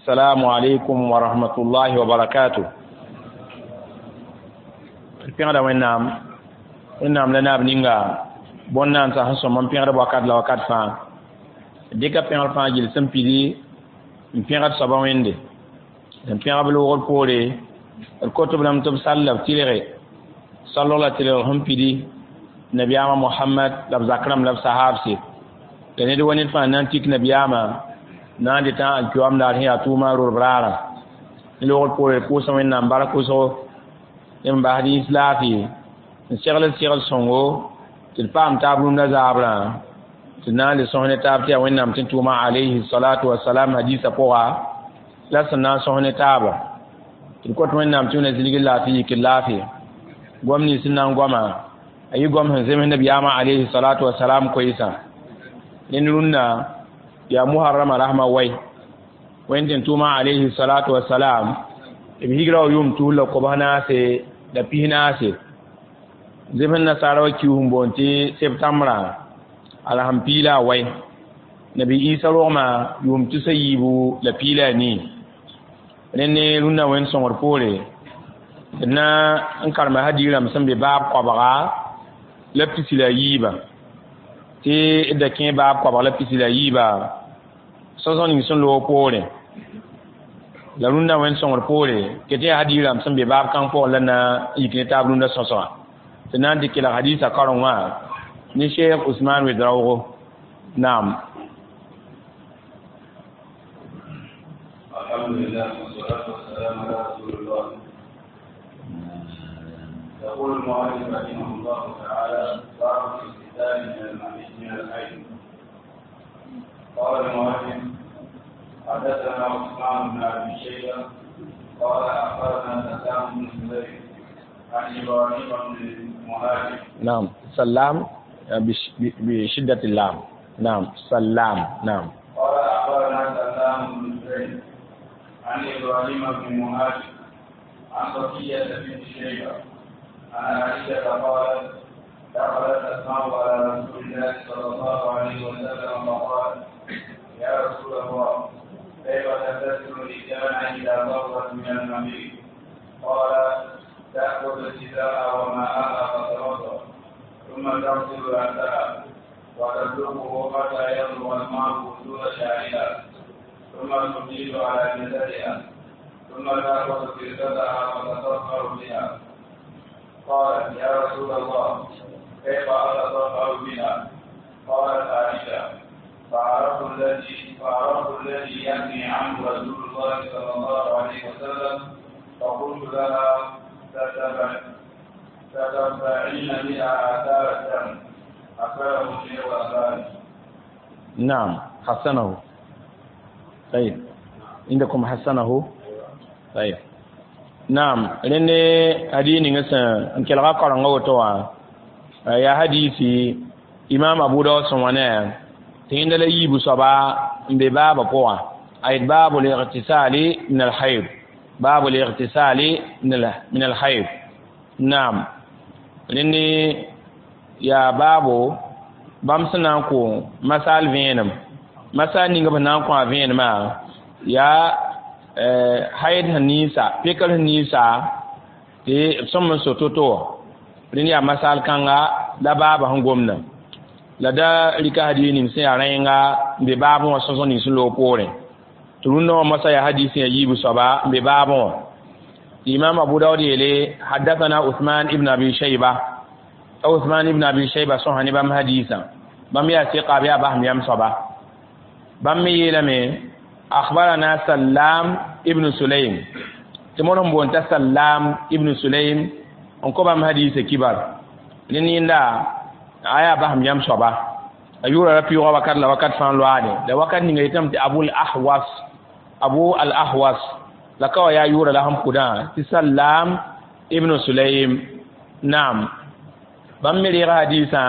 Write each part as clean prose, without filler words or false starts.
السلام عليكم ورحمة الله وبركاته. Pẽgda Wẽnnaam, Wẽnnaam la naab ninga bõn-naandsã sẽn sõm n pẽgd wakat la wakat fãa. Dɩka pẽgr fãa gill sẽn pidi n pẽgd soaba Wẽnde n pẽgb loogr poore. D kot b lame tɩ b sall la b tɩlge sallg la tɩlg sẽn pidi nabiyaamã Mohamad la b zak rãmb la b sahaabse la ned wa ned fãa na n tik nabiyaamã na n dɩtã alkiyoam daar sẽn yaa tʋʋmã rorb raarã. Ne loogr poore d pʋʋsa Wẽnnaam bark wʋsgo n basd yĩns laafɩ n segl segl sõngo tɩ d paam taab rũndã zaabrã tɩ na n le sõs ne taab tɩ yaa Wẽnnaam tɩ tʋʋma alayhi salatu wasalam hadisa pʋga la sẽn na n sõs ne taaba. Tɩ d kõt Wẽnnaam tɩ wẽna zĩlgr laafɩ yikr laafɩ goam nins sẽn na n goama a yɩ goam sẽn zems nabiyaamã alayhi salatu wasalam koeesã. Ned rũndã yaa muharrama rasmã wai wẽnd tɩ tʋʋma alayhi salatu wasalam b higra wa yʋʋm tus la kobs naase la pis naase zems nasaara wa kius n boond tɩ septãmbrã ala sẽn piila a wai nabi Isa rogmã yʋʋm tusa yiibu la piila a nii. Rẽnd ne rũndã wẽnd sõngr poore d na n karema hadiirãmb sẽn be baab koabga la pisi la yiiba tɩ d da kẽ baab koabg la pisi la yiiba sõsg ning sẽn loog poore la rũndã wẽnd sõngr poore ket yaa hadiirãmb sẽn be baab kãng pʋgẽ la na n yik ne taab rũndã sõsga tɩ na n dɩk kelg hadiisã kareng wã ne Cheikh Ousmane Ouedraogo. Naam. الحمد لله والصلاة والسلام على رسول الله. يقول المؤلف رحمه الله تعالى: باب الاغتسال من الحيض. قال المؤلف: حدثنا عثمان بن ابي شيبه قال اخبرنا سلام بن سليم عن ابراهيم بن مهاجر. نعم، سلام بشدة اللام. نعم، سلام. نعم. قال اخبرنا سلام بن سليم عن ابراهيم بن مهاجر عن صفية بنت شيبة عن عائشة قالت: دخلت أسماء على رسول الله صلى الله عليه وسلم فقالت: يا رسول الله، كيف تغتسل الإنسان إذا طهرت من المحيض؟ قال: تأخذ الحذاء وماءها فتوضأ، ثم تغسل رأسها وتبلغه حتى يبلغ الماء وصول شعرها، ثم تفيض على جسدها، ثم تأخذ فرشتها فتطهر بها. قالت: يا رسول الله، كيف أتطهر بها؟ قالت عائشة: فعرفت الذي يغني عنه رسول الله صلى الله عليه وسلم، فقلت لها: تتبعين بها آثار الدم. أخبره الشيخ الألباني. نعم، حسنه. طيب، عندكم حسنه؟ طيب، نعم. Rẽnd hadis ning sẽn n kelga karenga woto wã yaa hadisi imam Abu Daud sẽn wã ne tɩ yẽnda la yiibu soaba n be baabã pʋgã a yet baabu l-igtisali min al-hayd, baabu l-igtisali min al-hayd. Naam, rẽnd yaa baabo bãmb sẽn na n kõ masaal vẽenem, masaal ning b na n kõ a vẽenemã yaa hayd sẽn ninsa pekr sẽn ninsa tɩ b sõm n so to-to wã. Rẽnd yaa masaal kãnga la baabã sẽn gomdã la da rɩka hadiis ning sẽn yaa rẽnga n be baabẽ wã sõsg ning sẽn loog poorẽ tɩ rũndã wã moasã yaa hadiis sẽn yaa yiibu soaba n be baabẽ wã. Imam Abu Daud yeele: حدثنا Uthman ibn Abi Shayba. Uthman ibn Abi Shayba sõsa ne bãmb hadiisã, bãmb yaa sɩka b yaa basem yam soaba. Bãmb me yeelame: أخبرنا سلام ibn Sulaym tɩ mod sẽn boond t'a Sallam ibn Sulaym n kõ bãmb hadiisã kibar. Rẽnd yẽnda a yaa basem yam soaba, a yʋʋra ra pɩʋʋga wakat la wakat fãa loaade la wakat ninga yetame tɩ Abul Ahwas, Abu al Ahwas la ka wa yaa yʋʋra la sẽn pʋdã tɩ Sallam ibn Sulaym. Naam, bãmb me reega hadiisã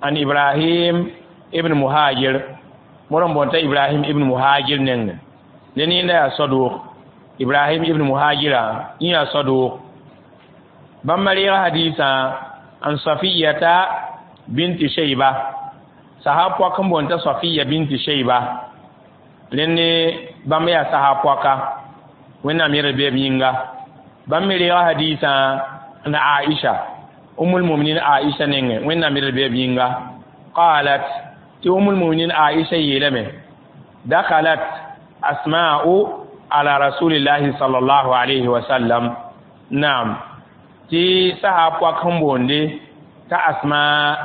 an Ibrahim ibn Muhajir, mod n boond t'a Ibrahim ibn Muhajir nengẽ. Ne yẽnda yaa sadʋʋg, Ibrahim ibn Muhajira yẽ yaa sadʋʋg. Bãmb reega hadiisã an Safiyata binti Shayba, sahab pɔk n boond t'a Safiya binti Shayba. Rẽnd Bãmb yaa sahab poaka Wẽnnaam yẽr beeb yĩnga. Bãmb me reega hadiisã la Aisha, Ummul Muminin Aisha nengẽ, Wẽnnaam yẽr beeb yĩnga. Qalat, tɩ Ummul Muminin Aisha yeelame: dakhalat Asma'u ala Rasulillahi sallallahu alayhi wa sallam. Naam, tɩ sahab poak sẽn boonde t'a Asma,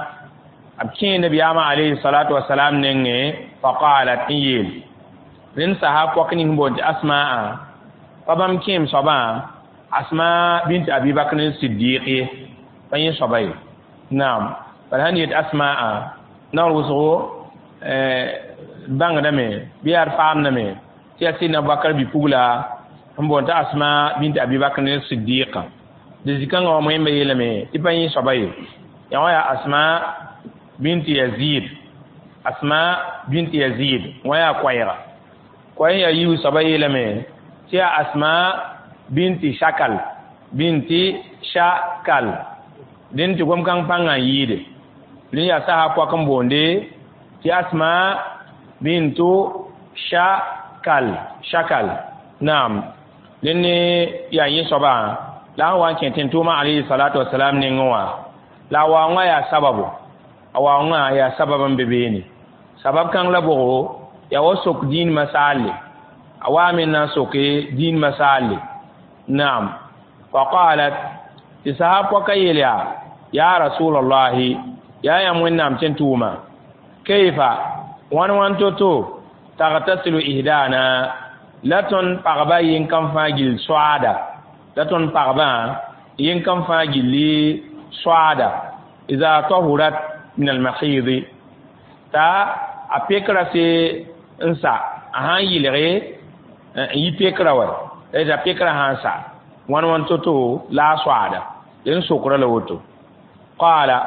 b kẽe nabiyaamã alayhi salatu wasalam nengẽ. Faqalat, n yeel rẽnd sahab poak ning sẽn boond tɩ Asma'a, pa bãmb kẽem soabã Asma bint Abi Bakr Siddiq ye, pa yẽ soaba ye. Naam, bala sãn yet Asma'a naoor wʋsgo bãngdame bɩ yaa d faamdame tɩ yaa Sidna Abubakar bi-pugla sẽn boond t'a Asma bint Abi Bakr Siddiqa. Dɩ zĩ-kãngã wã moẽmba yeelame tɩ pa yẽ soaba ye, yaa wã yaa Asma bint Yazid. Asma bint Yazid wã yaa koɛɛga. Koɛɛ yaa yiib soaba yeelame tɩ yaa Asma binti Shakal, binti Shakal. Dẽn tɩ gom-kãng pãngã n yɩɩde. Rẽ yaa sasa poak n boonde tɩ Asma bintu Shakal, Shakal. Naam, dẽn ne yaa yẽ soaba la a sẽn wa n kẽ tẽn-tʋʋmã alayhi salatu wasalam nengẽ wã. La a waoongã yaa sababu, a waoongã yaa sabab n be beene. Sabab kãng la bʋgo yaa wa sok dĩinmã saalle, a waame n na n soke dĩinmã saalle. Naam, faqalat, tɩ sahab pɔka yeel yaa: ya Rasulallahi, yaa yãmb Wẽnnaam tẽn-tʋʋma, kayfa, wãn wãn to-to, tagtasilu ihdana, la tõnd pagba yẽn-kãn fãa gill soaada, la tõnd pagbã yẽn-kãn fãa gilli soaada, iza tahurat min almahidi, t'a a pekra se n sa, a sãn yɩlge n yi pekra wa, la pekra sãn sa, wãn wãn to-to la a soaada? Dẽn sokra la woto. Qala,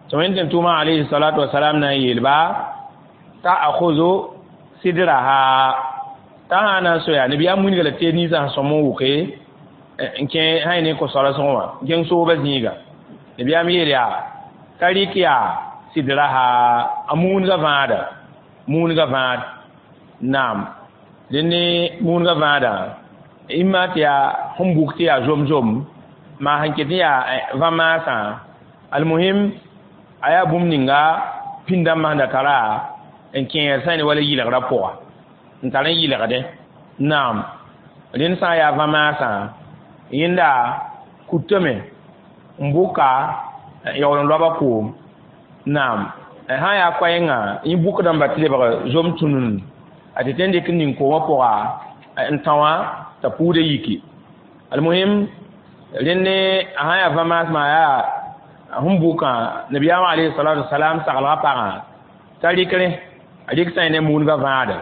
tɩ wẽnd tẽn-tʋʋmã alayhi salatu wasalam na n yeelba: ta'khudhu sidraha, t'a sã na n soya nabiyaam wilga la teed ninsã sẽn sõm n wʋke n kẽ sã ne ko-soalsg wã n kẽng soobã zĩiga. Nabiyaam yeel yaa t'a rɩk yaa sidraha, a muunga vãada, muunga vãad. Naam, dẽn ne muunga vãadã imma tɩ yaa sẽn buk tɩ yaa zom-zom maa sẽn ket n yaa vã-maasã. Almuhim, a yaa bũmb ninga pĩnd-dãmbã sẽn da tara n kẽer sã ne wala yɩlgrã pʋga n tar n yɩlgdẽ. Naam, rẽnd sã n yaa vã-maasã, yẽnda kutame n bʋka yaool n loaba koom. Naam, sã n yaa koɛɛngã, yẽ bʋkdãmba tɩ lebg zom tũnun a tɩ tõe n dɩk n ning koomã pʋga n tã wã t'a puudã yiki. Almuhim, rẽnd ne a sã n yaa vã-maasmã yaa sẽn bʋkã, nabiyaamã alayhi salatu wasalam saglga pagã t'a rɩk rẽ, a rɩk sã ne muudgã vãada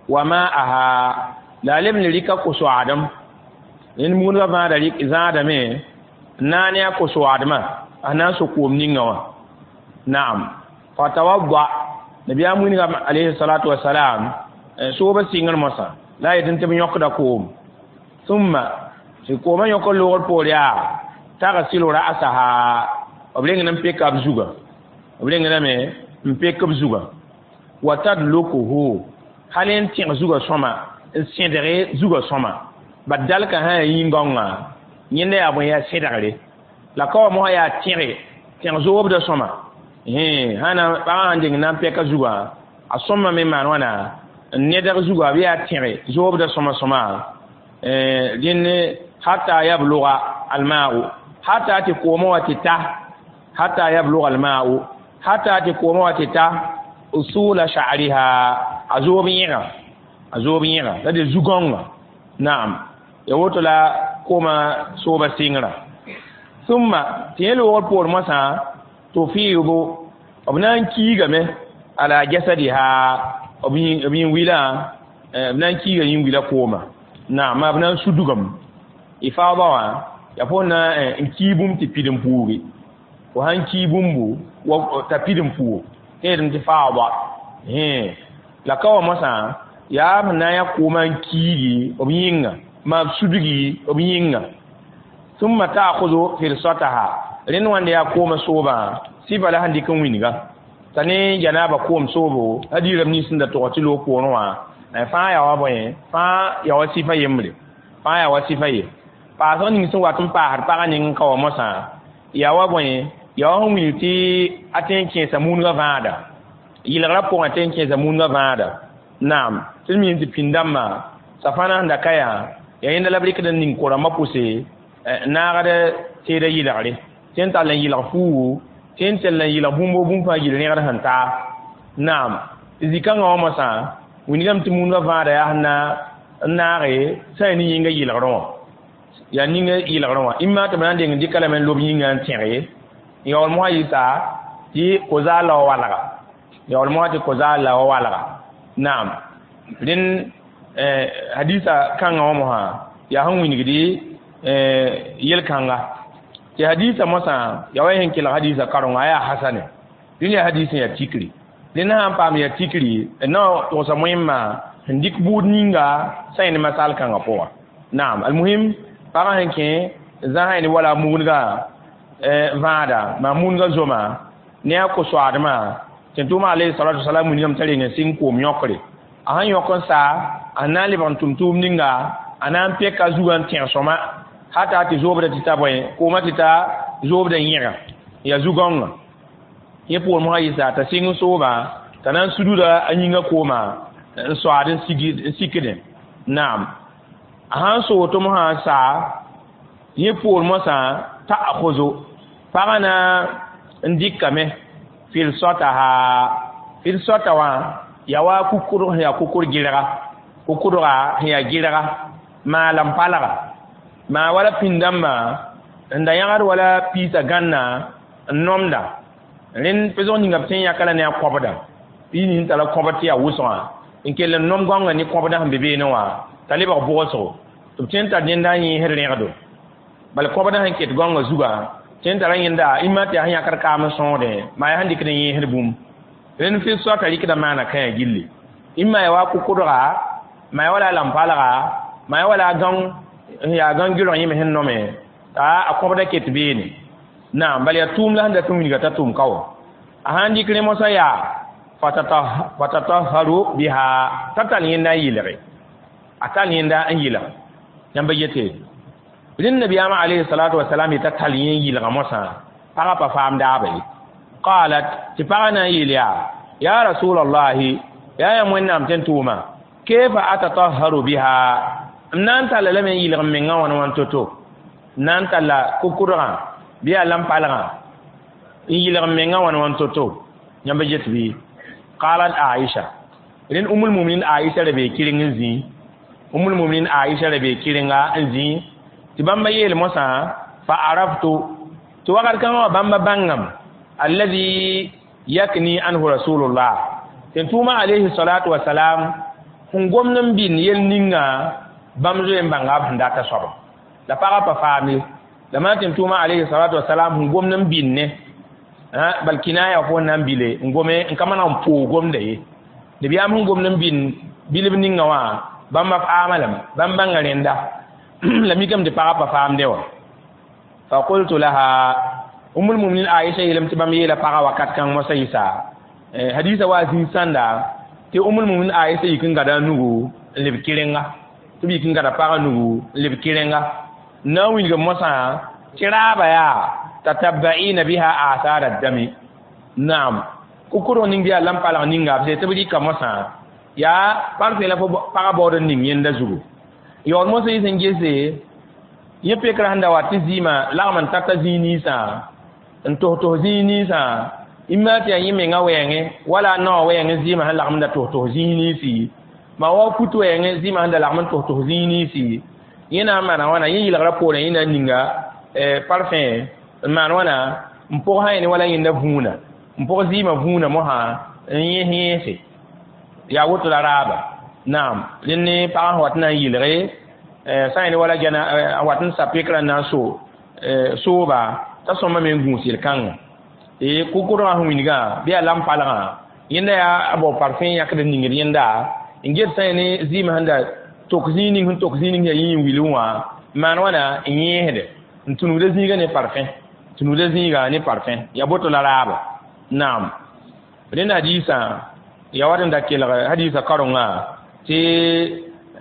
wa ma'aha, la a leb n rɩka ko-soaadem. Rẽnd muudgã vãada rɩk zãadame n na ne a ko-soaadmã a na n so koom ninga wã. Naam, fatawadda, nabiyaam wilga alayhi salatu wasalam soobã sɩngr mosã la a yetɩ tɩ b yõkda koom. Thumma, tɩ koomã yõk n loogr poor yaa tagsilu ra'saha, b rengd n peka b zugã, b rengdame n pek b zugã, wa tadlukuhu, hal n tẽg zugã sõma, n sẽdge zugã sõma. Bat dalka sã yaa yĩn-gãongã, yẽnda yaa bõe? Yaa sẽdgre la ka wa mosã yaa tẽge tẽg zoobda sõma. Sã na pagã sãn deng na n pɛka zugã, a sõmame me maan wãna n nedg zugã bɩ yaa tẽge zoobda sõma sõma. Dẽnd hatta yabluga alma'u, hatta tɩ koomã wa tɩ ta, hatta yabluga alma'u, hatta tɩ koomã wa tɩ ta usula sha'riha, a zoob yẽga, a zoob yẽga la de zu-gãongã. Naam, ya woto la koomã sooba sɩngrã. Thumma, tɩ yẽ loogr poor moasã, tufiidu, b na n kiigame ala jasadiha, b yĩn-wilã, b na n kiiga yĩn-wilã kooma. Naam, b na n sudgame ifaada wã yaa fo na n kii bũmb tɩ pid n puugi. Fo sãn kii bũmbu t'a pid n puug, tẽedem tɩ faada. La ka wa moasã yaa b na n yaa koomã n kiigi b yĩnga, maa b sudgi b yĩnga. Thumma ta'khudhu firsataha, rẽnd wãnda yaa koomã soobã sɩfa la sẽn dɩk n wĩnga t'a ne janaaba koom soobo hadiirame nins sẽn da tog tɩ loog poorẽ wã Fãa yaa wa bõe, fãa yaa wa sɩfa yembre, fãa yaa wa sɩfa ye. Paasg ning sẽn wat n paasd pagã ning n ka wa mosã yaa wa bõe, yaa wa sẽn wilg tɩ a tõe n kẽesa mundgã vãada yɩlgrã pʋgẽ, tõe n kẽesa mundgã vãada. Naam, tɩ d mi tɩ pĩnd-dãmbã safãna sẽn da ka yaa, yaa yẽnda la b rɩkd n ning ko-rãmbã pʋse n naagd teedã yɩlgre, tɩ n tall n yɩlg fuugu, tɩ n tell n yɩlg bũmb bũmb fãa gill rẽgd sẽn taa. Naam, tɩ zĩ-kãngã wã mosã wingame tɩ mundgã vãada yaa sẽn na n naage sã ne yĩnga yɩlgrẽ wã, yaa ninga yɩlgrẽ wã ĩmma tɩ b na n deng n dɩka lame n lob yĩngã n tẽge yaool mosã yɩsa tɩ ko-zaal la wa walga, yaool mosã tɩ ko-zaal la wa walga. Naam, rẽnd hadisa kãngã wã mosã yaa sẽn wingdi yel-kãnga tɩ hadisa mosã yaa wa sẽn kelg hadisa karenga yaa hasane. Rẽnd yaa hadis sẽn yaa tikri. Rẽnd sã n paam yaa tikri n na togsa moẽmma sẽn dɩk buud ninga sã yẽ ne masal kãngã pʋga. Naam, almuhim, pagã sẽn kẽ zãsã ne wala mugdgã vãada maa mundgã zoma ne a ko-soaadmã tɩ tʋʋma alayhi salatu wasalam wingame t'a reng n sɩng koom yõkre. A sẽn yõk n sa, a na n lebg n tʋm tʋʋm ninga, a na n peka a zugã n tẽg sõma hata tɩ zoobda tɩ ta bõe koomã tɩ ta zoobda yẽga yaa zu-gãongã. Yẽ poor mosã yɩsa t'a sɩng n sooba t'a na n sududa a yĩngã kooma n soaad n sikdẽ. Naam, a sãn soog tɩ mosã n sa yẽ poor mosã ta'khuzu pagã na n dɩkame filsataha. Filsata wã yaa wa kukudg sẽn yaa kukur gɩrga, kukudga sẽn yaa gɩrga maa lam-palga maa wala pĩnd-dãmbã n da yãgd wala piisã gãnna n nomda. Rẽnd pesg ninga b tõe n yãka la ne a kõbda piis ning tara kõbd tɩ yaa wʋsgã n kell n nom gãongã ne kõbda sẽn be beene wã t'a lebg bʋgsgo tɩ b tõe n tar dẽnda n yẽesd rẽgdo. Bala kõbda sẽn ket gãongã zugã tõe n tara yẽnda ĩmma tɩ yaa sẽn yãkd kaam n sõosdẽ maa yaa sẽn dɩkd n yẽesd bũmb. Rẽnd fɩ soata rɩkda maana kãyã gilli ĩmma yaa wa kʋkʋdga, maa yaa wala lam-palga, maa yaa wala gãong n yaa gãng gɩlg yẽme sẽn nome t'a a kõbda ket beene. Naam, bala yaa tʋʋm la sẽn dat n wilga t'a tʋʋm ka wa. A sãn dɩk rẽ mosã yaa fatatahharu biha t'a tall yẽnda n yɩlge, a tall yẽnda n yɩlg. Yãmba yete rẽnd nabiyaamã alayhi salatu wasalam yet'a tall yẽ n yɩlga mosã pagã pa faam daaba ye. Qalat, tɩ pagã na n yeel yaa: ya rasulallahi, yaa yãmb Wẽnnaam tɩ n tʋʋma, kayfa atatahharu biha, m na n talla lame n yɩlg m mengã wãn wãn to-to, n na n talla kʋkʋdgã bɩ yaa lam-palgã n yɩlg m mengã wãn wãn to-to. Yãmb get bɩ? Qalat Aisha, rẽnd umul muminin Aisha ra bee kɩreng n zĩ, umul muminin Aisha ra bee kɩrenga n zĩ tɩ bãmba yeel mosã fa araftu tɩ wakat kãngã wã bãmba bãngame alladhi yakni anhu rasulullah tɩ tʋʋma alayhi salatu wasalam sẽn gomd n bɩnd yel ninga bãmb zoe n bãnga b sẽn data soaba la pagã pa faam ye. La maa tɩ tʋʋma alayhi salatu wasalam sẽn gomd n bɩnd ne bal kinaya fo na n bile n gome n ka maneg n poog gomda ye. Nabiyaam sẽn gomd n bɩnd bilb ninga wã bãmba faama lame, bãmb bãnga rẽnda la mikame tɩ pagã pa faamdẽ wã. Fa qultu laha, umul muminin Aisha yeelame tɩ bãmb yeela pagã wakat kãng mosã yɩsa hadisa wa zĩig sãnda tɩ umul muminin Aisha yik n gada a nugu n leb kɩrenga, tɩ b yik n gada pagã nugu n leb kɩrenga n na n wilg mosã tɩ raaba yaa tatabba'ina biha athara dami. Naam, kʋkʋdg ning bɩ yaa lam-palg ninga b sẽn tɩ b rɩka mosã yaa parfẽ la fo pagã baood n ning yẽnda zugu. Yaool mosã yɩ sẽn gese yẽ pekrã sẽn da wa tɩ zɩɩmã lagm n tata zĩig ninsã n tos-tos zĩig ninsã ĩmma tɩ yaa yẽ mengã wɛɛngẽ wala a naoã wɛɛngẽ zɩɩmã sẽn lagm n da tos-tos zĩig ninsi maa wa fut wɛɛngẽ zɩɩmã sẽn da lagm n tos-tos zĩig ninsi yẽ na n maana wãna yẽ yɩlgrã poorẽ yẽ na n ninga parfẽ n maan wãna n pʋg sã yẽ wala yẽnda vũuna n pʋg zɩɩmã vũuna mosã n yẽs yẽese yaa woto la raaba. Naam, rẽnd ne pagã sẽn wat n na n yɩlge sã yẽ wala gɛna a wat n sa pekrã n na n so sooba t'a sõma me n gũus yel-kãngã tɩ kʋkʋdgã sẽn wilgã bɩ yaa lam-palgã yẽnda yaa a bao parfẽ yãkd n ningd yẽnda n get sã yẽ ne zɩɩmã sẽn da tok zĩig ning sẽn tok zĩig ning yaa yĩ n wilg wã n maan wãna n yẽesde n tũnugda zĩigã ne parfẽ, tũnugda zĩigã ne parfẽ yaa boto la raaba. Naam, rẽnd hadiisã yaa wat n da kelg hadiisã karengã Tɩ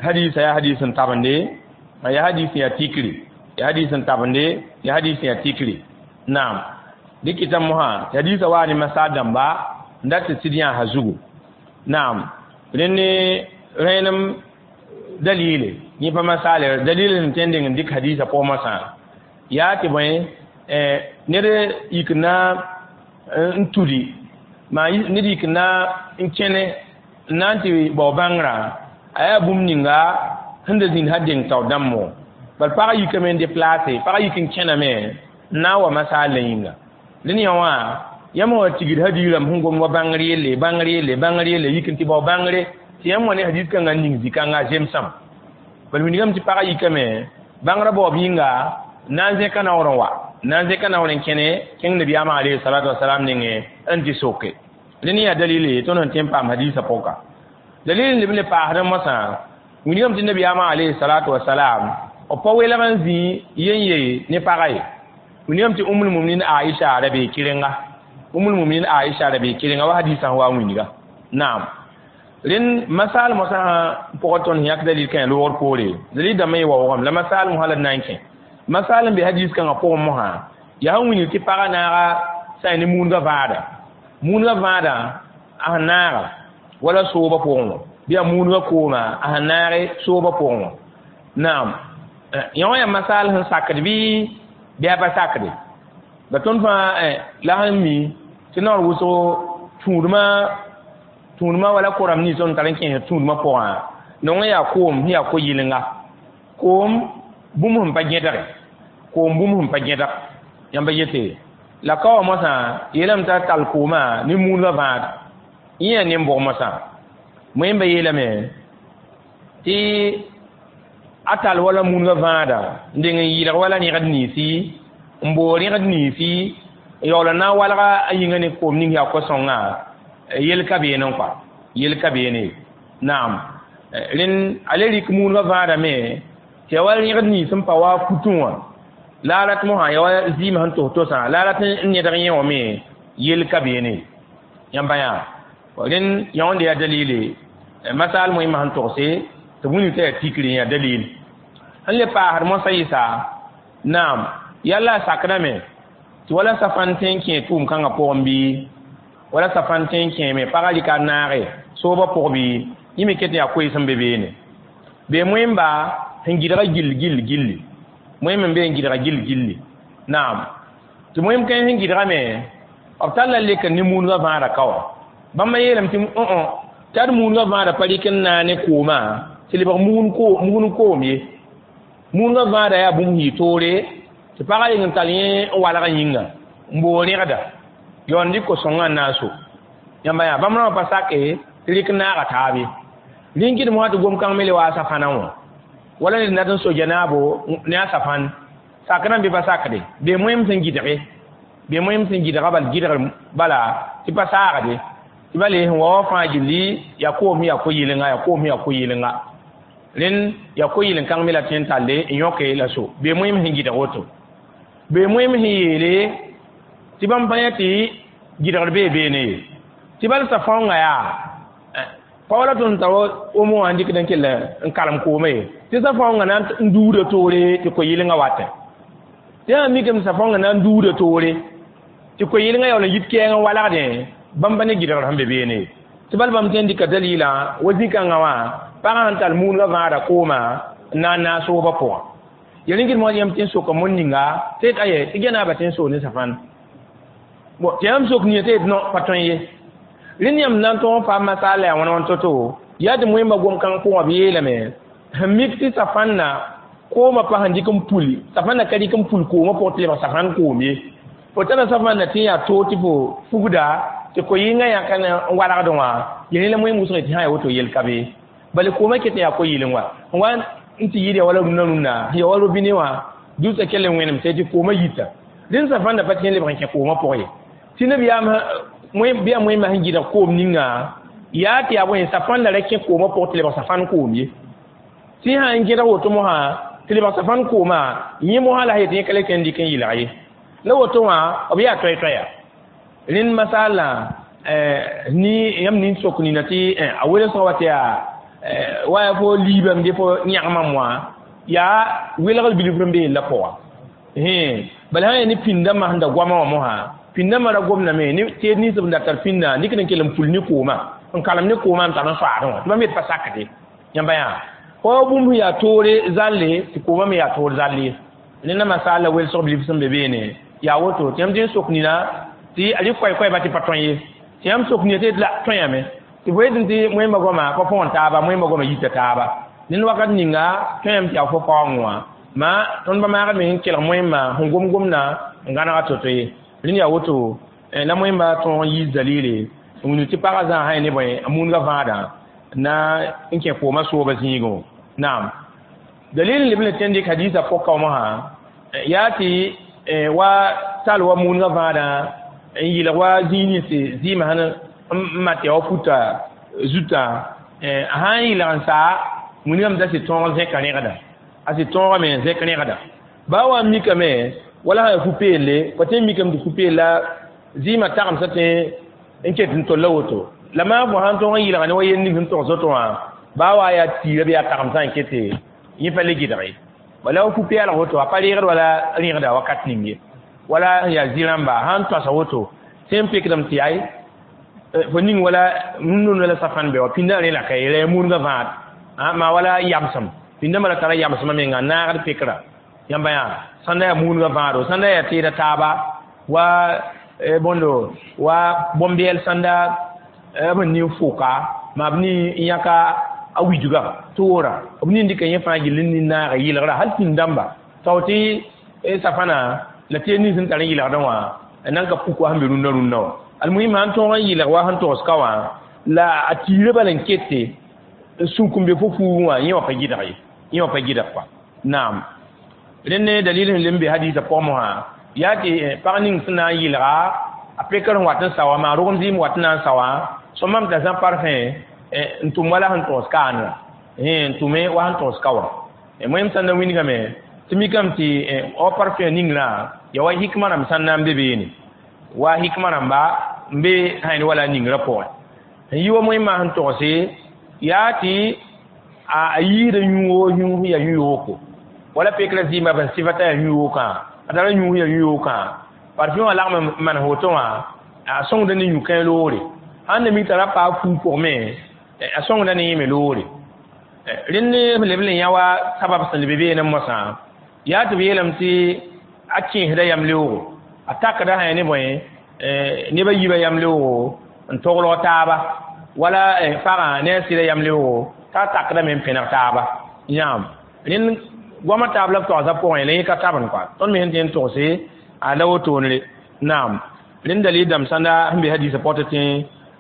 hadisa yaa hadis n tabende, yaa hadis n yaa tikri, yaa hadis n tabende, yaa hadis n yaa tikri. Naam, dɩkɩta mosã tɩ hadisa waa ne masaal dãmba n dat tɩ sɩd yãasa zugu. Naam, rẽnd rẽenem dalile yẽ pa masaale dalil sẽn tõe n deng n dɩk hadisa pʋgẽ mosã yaa tɩ bõe ned yik na n tudi maa ned yik na n kẽne n na n tɩ bao bãngrã a yaa bũmb ninga sẽn da zĩnd sã deng tao dãmbo bal pagã yikame n deplaase, pagã yik n kẽname n na n wa masaal la yĩnga. Dẽn yã wã yãmb wa tigd hadiis rãmb sẽn gom wa bãngr yelle, bãngr yelle, bãngr yelle, yik n tɩ bao bãngre tɩ yãmb wa ne hadis kãngã n ning zĩ-kãngã a zemsam. Bal wilgame tɩ pagã yikame bãngrã baoob yĩnga n na n zẽka naoor n wa, n na n zẽka naoor n kẽne kẽng nabiyaamã alayhi salatu wasalam nengẽ n tɩ soke. Rẽnd yaa dalile tõnd sẽn tõe n paam hadiisã pʋka. Dalil n leb n le paasdẽ mosã, wilgame tɩ nabiyaamã alayhi salatu wasalam b pa welg n zĩ yen ye ne pagã ye. Wilgame tɩ Umul Muminin Aisha ra bee kɩrenga, Umul Muminin Aisha ra bee kɩrenga wa hadiisã sẽn wa n wilga. Naam, rẽnd masaal mosã pʋgã tõnd sẽn yãk dalil kã loogr poore dalil dãmbã ye waoogame la masaal mosã la d na n kẽ masaal n be hadis kãngã pʋgẽ mosã yaa sẽn wilg tɩ pagã naaga sã ne muudgã vãada, muudgã vãada a sẽn naaga wala soobã pʋgẽ wã bɩ yaa muudgã kooma a sẽn naage soobã pʋgẽ wã. Naam, yã wã yaa masaal sẽn sakd bɩ a pa sakde la tõnd fãa la sẽn mi tɩ naoor wʋsgo tũudmã wala korame nins tõnd tar n kẽesd tũudmã pʋgã nongẽ yaa koom sẽn yaa ko-yɩlenga koom bũmb sẽn pa gẽdge, koom bũmb sẽn pa gẽdg yãmba yete la ka wã mosã yeelame t'a tall koomã ne muudgã vãad yẽ yaa nen-bʋg mosã moẽmba yeelame tɩ a tall wala muudgã vãada n deng n yɩlg wala rẽgd ninsi n boog rẽgd ninsi n yaool n na n walga a yĩngã ne koom ning yaa ko-sõngã yel ka beene n kɔa yel ka beene. Naam, rẽnd a le rɩk muudgã vãadame tɩ ya wa rẽgd nins n pa wa putẽ wã la a rat mosã ya wa zɩɩmã sẽn tos tosã la a rat n nedg yẽ wã me yel ka beene yãmba yã. Rẽnd yã wãnda yaa dalile masaal moẽmã sẽn togse tɩ b wilg t'a yaa tikri yaa dalil sẽn le paasd mosã yɩsa. Naam, yalla a sakdame tɩ wala safãn tõe n kẽ tʋʋm kãngã pʋgẽ bɩ wala safãn tõe n kẽeme pagã rɩka a naage soobã pʋg bɩ yẽ me ket n yaa koees sẽn be beene bee moẽmba sẽn gɩdga gill gill gilli moẽm n be n gɩdga gill gilli. Naam, tɩ moẽm kãens sẽn gɩdgame b talla lek n ne muudgã vãada ka wã bãmba yeelame tɩ tɩ ad muudgã vãada pa rɩk n naa ne koomã tɩ lebg mugn koom ye. Muudgã vãada yaa bũmb yɩ toore tɩ pagã reng n tall yẽ n walg yĩnga n boog rẽgda yaoond dɩk ko-sõngã n na n so yãmba yaa bãmb rãmbã pa sake tɩ rɩk n naaga taab ye. Rĩng kɩdem wã tɩ gom-kãng me le wa a safãnã wã wala ned nat n so janaabo ne a safãn sakrã bɩ pa sakde bee moẽm sẽn gɩdge bee moẽm sẽn gɩdga bal gɩdgr bala tɩ pa saagde tɩ ba le sẽn wa wã fãa gilli yaa koom yaa ko-yɩlenga, yaa koom yaa ko-yɩlenga. Rẽnd yaa ko-yɩlen-kãng me la tõe n talle n yõke la so bee moẽm sẽn gɩdg woto bee moẽm sẽn yeele tɩ bãmb pa yã tɩ gɩdgr bee beene ye tɩ bal safãongã yaa pa wala tõnd tar omo wã n dɩkd n kell n karem kooma ye tɩ safãongã na n duuda toore tɩ ko-yɩlengã watẽ tɩ sã mikame safãongã na n duuda toore tɩ ko-yɩlengã yaool n yit kɛɛng n walgdẽ bãmba ne gɩdgr sẽn be beene ye tɩ bal bãmb tõe n dɩka dalilã wa zĩ-kãngã wã pagã sẽn tall muudgã vãada kooma n na n naag soobã pʋgã ya rĩngd moas yãmb tɩ n soka mon ninga tɩ yet aye tɩ gɛnaaba tɩ n soog ne safãn bon tɩ yãmb sok nia tɩ yet no pa tõe ye. Rẽnd yãmb na n tõog n faam masaal la yaa wãn wãn to-to yaa tɩ moẽmbã gom-kãng pʋgã b yeelame sẽn mik tɩ safãnna koomã pa sẽn dɩk n puli safãnna ka dɩk n pul koomã pʋgẽ tɩ lebg safãn koom ye. Fo tara safãnna tɩ yaa toog tɩ fo fugda tɩ ko-yɩngã yãka n walgdẽ wã yel la moẽm wʋsg tɩ sã yaa woto yel ka be bala koomã ket n yaa ko-yɩleng wã n wa n tɩ yɩɩd ya wala rũnna rũnna ya wa robine wã dʋsã kell n wẽnem tɩ koomã yita rẽnd safãnda pa tɩ lebg n kẽ koomã pʋgẽ ye tɩ nabiyaam bɩ yaa moẽmã sẽn gɩdg koom ninga yaa tɩ yaa bõe safãnda ra kẽ koomã pʋgẽ tɩ lebg safãn koom ye tɩ sã n gẽdg woto mosã tɩ lebg safãn koomã yẽ mosã la yet yẽ ka le tõe n dɩk n yɩlg ye la woto wã b yaa toɛ-toɛya. Rẽnd masaalã ni yãmb nin sok nina tɩ a welsgã wa tɩ yaa Wa fo liibame de fo yãgmame wã yaa welgr bilf n be la pʋga bala sã yaa ne pĩndãmbã sẽn da goamã wã mosã pĩndãmbã ra gomdame ne teed nins b da tar pĩndã dɩk n kell n pul ne koomã n kalem ne koomã n tar n soaadẽ wã tɩ bãmb yet pa sakde yãmba yaa fo bũmb sẽn yaa toore zalle tɩ koomã me yaa toor zalle ye rẽnda masaal la welsg bilf sẽn be beene yaa woto tɩ yãmb tɩ n sok nina tɩ a rɩ koɛɛ-koɛɛba tɩ pa tõe ye tɩ yãmb sok nina tɩ la tõeyame tɩ fo yetẽ tɩ wẽmba goama pa põgen taaba wẽmba goama yita taaba ned wakat ninga tõeyame tɩ yaa fo paoongẽ wã ma tõnd pa maagd me sẽn kelg wẽmba sẽn gom gomdã n gãnega to-to ye rẽnd yaa woto la wẽmba tõog n yiis dalile n wilg tɩ pagã zãa sã ne bõe a muudga vãadã na n kẽ koomã sooba zĩigẽ naam dalil n leb n tẽn dɩk hadiisã pʋka wã mosã yaa tɩ wa tal wa muudga vãadã n yɩlg wa zĩig ninse zɩɩmã sẽn n mat yaa wa futa zutã a sã n yɩlg n saa wilgame t'a sɩ tõog zẽka rẽgda a sɩ tõogame zẽk rẽgda baa wa n mikame wala sã yaa fu-peelle pa tõe n mikame tɩ fu-peella zɩɩmã tagemsã tõe n ket n tolla woto la maa fo sãn tõog n yɩlga ne wa yel ning sẽn togs woto wã baa wa yaa tiira bɩ yaa tagemsã n kete yẽ pa le gɩdge wala wa fu-peelg woto a pa reegd wala rẽgda wakat ning ye wala yaa zĩ-rãmba sãn toasa woto sẽn n pekdame tɩ ay fo ning wala rũndũnd wala safãn be wa pĩndã rẽ la ka ye la ya murgã vãad maa wala yamsem pĩndãmbã ra tara yamsmã menga n naagd pekra yãmba yaa sãnda yaa muudgã vãado sãnda yaa teeda taaba wa bõndo wa bõn-bɛɛl sãnda b nin foka maa b nin n yãka a widga toora b nin dɩka yẽ fãa gill n nin naaga yɩlgra hal pĩnd-dãmba tao tɩ safãna la teed nins sẽn tar n yɩlgdẽ wã nan ka puk wa sẽn be rũndã rũndã wã almuhim sãn tõog n yɩlg wa sẽn togs ka wã la a tiirã bala n kete n sũk n be fo fuugẽ wã yẽ wã pa gɩdg ye yẽ wã pa gɩdg kɔa naam rẽnd ne dalil sẽn lem be hadiisã pʋgẽ mosã yaa tɩ pag ning sẽn na n yɩlga a pekr sẽn wat n sa wã maa rogem zɩɩm wat n na n sa wã sõmam t'a zã parfẽ n tʋm wala sẽn togs kaanã n tʋme wa sẽn togs ka wã wẽm sãn na wilgame tɩ mikame tɩ wa parfẽ ningrã yaa wa hikma rãmb sãn na n be beene wa hikma rãmba n be sã wala ningrã pʋgẽ n yi wa wẽmma sẽn togse yaa tɩ a yiida yũugo yũus yaa yũ-yooko wala pekra zɩɩmã b sẽn sɩfa t'a yaa yũ-yookã a tara yũus yaa yũ-yookã parfum wã lagm n manes woto wã a sõngda ne yũ-kãe loore sãn na mik t'a ra paa fuu pʋgme a sõngda ne yẽ me loore rẽnd ne leb n yã wa sabab sẽn leb beene mosã yaa tɩ b yeelame tɩ a kẽesda yam-leoogo a takda sã ne bõe neb a yiibã yam-leoogo n toglg taaba wala pagã ne a sɩda yam-leoogo t'a takdame n pẽneg taaba yãam rẽnd goamã taab la b togsã pʋgẽ la yẽ ka tabend kɔa tõnd me sẽn tɩ n togse a la wotoonre naam rẽnd dalil dãmb sãnda sẽn be hadiisã pɔt tɩ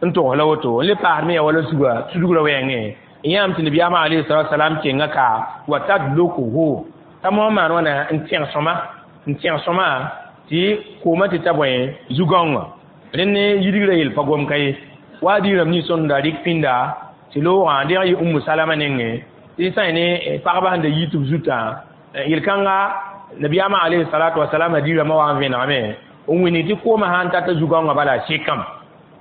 n togs la woto n le paasd me yaa wala suga sudugrã wɛɛngẽ n yãam tɩ nabiyaamã alayhi salatu wasalam kenga ka wa tadlukuhu t'a moa maan wãna n tẽg sõma n tẽg sõma tɩ koomã tɩ ta bõe zu-gãongã rẽnd ne yidgrã yel pa gom ka ye wa diirame nins tõnd da rɩk pĩnda tɩ loogã deg yɩ umu salama nengẽ tɩ sã ne pagba sẽn da yit b zutã yel-kãnga nabiyaamã alayhi salatu wasalam hadiirãmã wa n vẽnegame n wĩnig tɩ koomã sã n tata zu-gãongã bala a sekame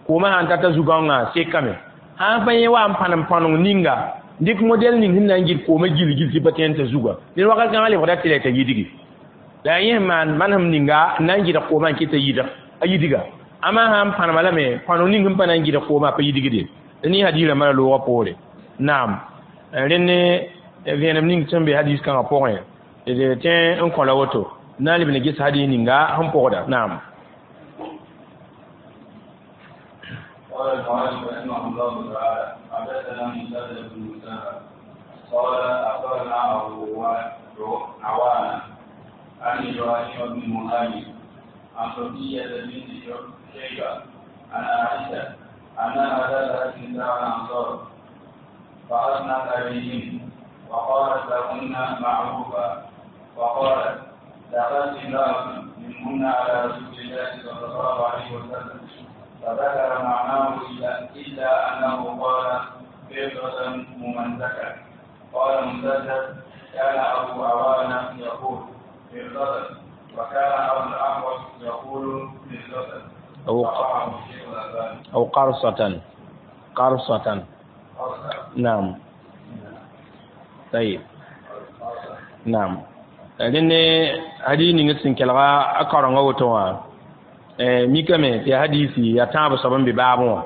koomã sã n tata zu-gãongã sekame sã n pa yẽ wa n pãnem pãneng ninga dɩk modɛl ning sẽn na n gɩd koomã gil-gil tɩ pa tõe n t'a zuga ned wakat kãngã lebgda tɩ la t'a yidgi la yẽ sẽn maan manesem ninga n na n gɩdg koomã n kɩt a yidga ama sã n pãnema lame pãneng ning sẽn pa na n gɩdg koomã pa yidgde ne hadiirãmbã la loogã poore naam rẽnd ne vẽenem ning sẽn be hadiis kãngã pʋgẽ d tẽ n kõ la woto na n leb ne ges hadiis ninga sẽn pʋgda naam قال المؤلف رحمه الله تعالى حدثنا مسدد بن مسرهد قال اخبرنا ابو عوانه عن ابراهيم بن مهاجر عن صفيه بنت شيبه عن عائشه انها دخلت نساء الانصار فاثنت عليهن وقالت لهن معروفا وقالت دخلت امراه منهن على رسول الله صلى الله عليه وسلم فذكر معناه إلا أنه قال فضة ممزكة قال مسدد كان أبو عوانة يقول فضة وكان أبو الأحوص يقول فضة أو قرصة قرصة نعم Tayib, naam. Rẽnd hadis ning sẽn kelga a kaorengã woto wã mikame tɩ yaa hadisi yaa tãab soab n be baabẽ wã.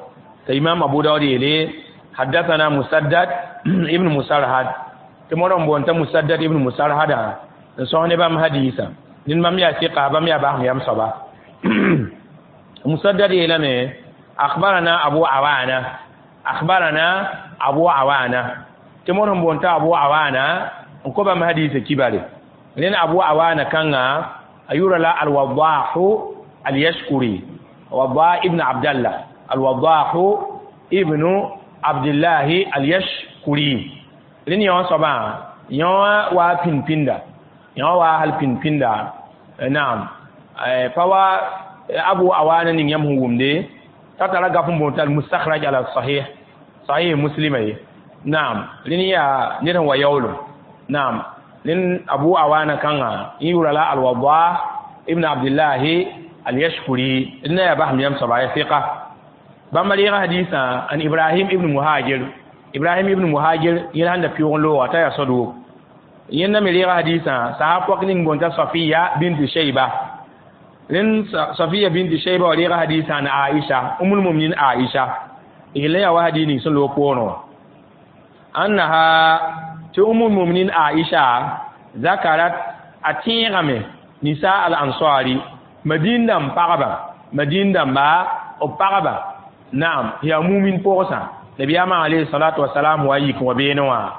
T'a imam Abu Daud yeele: حدثنا مسدد ابن مسرهد. Tɩ modg n boond t'a Musaddad ibn Musarhada n sõs ne bãmb hadisã. Ned bãmb yaa sɩka, bãmb yaa basem yam soaba. Musaddad yeelame: أخبرنا أبو عوانة، أخبرنا أبو عوانة. Tɩ modg n boond t'a Abu Awana n kõ bãmb hadisã kibare. Rẽnd Abu Awana kãnga a yʋra la Alwadahu Alyashkuri, Wadah ibn Abdallah, Alwadahu ibn Abdillahi Alyashkuri. Rẽnd yõ soabã yõ wa pĩnd-pĩnda, yõ wa hal pĩnd-pĩnda. Naam, pa wa Abu Awana ning yãmb sẽn wʋmde t'a tara gaf n boond t'a Almustakhraj ala Sahih, Sahih Muslima ye. Naam, rẽnd yaa ned sẽn wa yaoolem. Naam, rẽnd Abu Awana kãngã yẽ yʋra la Alwadah ibn Abdillahi Alyashkuri. Rẽnda yaa basem yam soaba, ya sɩka. Bãmba reega hadisã an Ibrahim ibn Muhajir. Ibrahim ibn Muhajir yẽl sãn da pɩʋg n looga t'a yaa sodgo. Yẽnda me reega hadisã sahab pɔk ning boond t'a Safiya bint Shayba. Rẽnd Safiya bint Shayba wa reega hadisã na Aisha, Umul Muminin Aisha. Yella yaa wa hadis ning sẽn loog poorẽ wã annaha tɩ Umul Muminin Aisha zakarat, a tẽegame nisa al ansari, Madin dãmb pagba, Madin dãmba b pagba. Naam, yaa mumin pʋgsã. Nabiyaamã alayhi salatu wasalam wa yik wã beene wã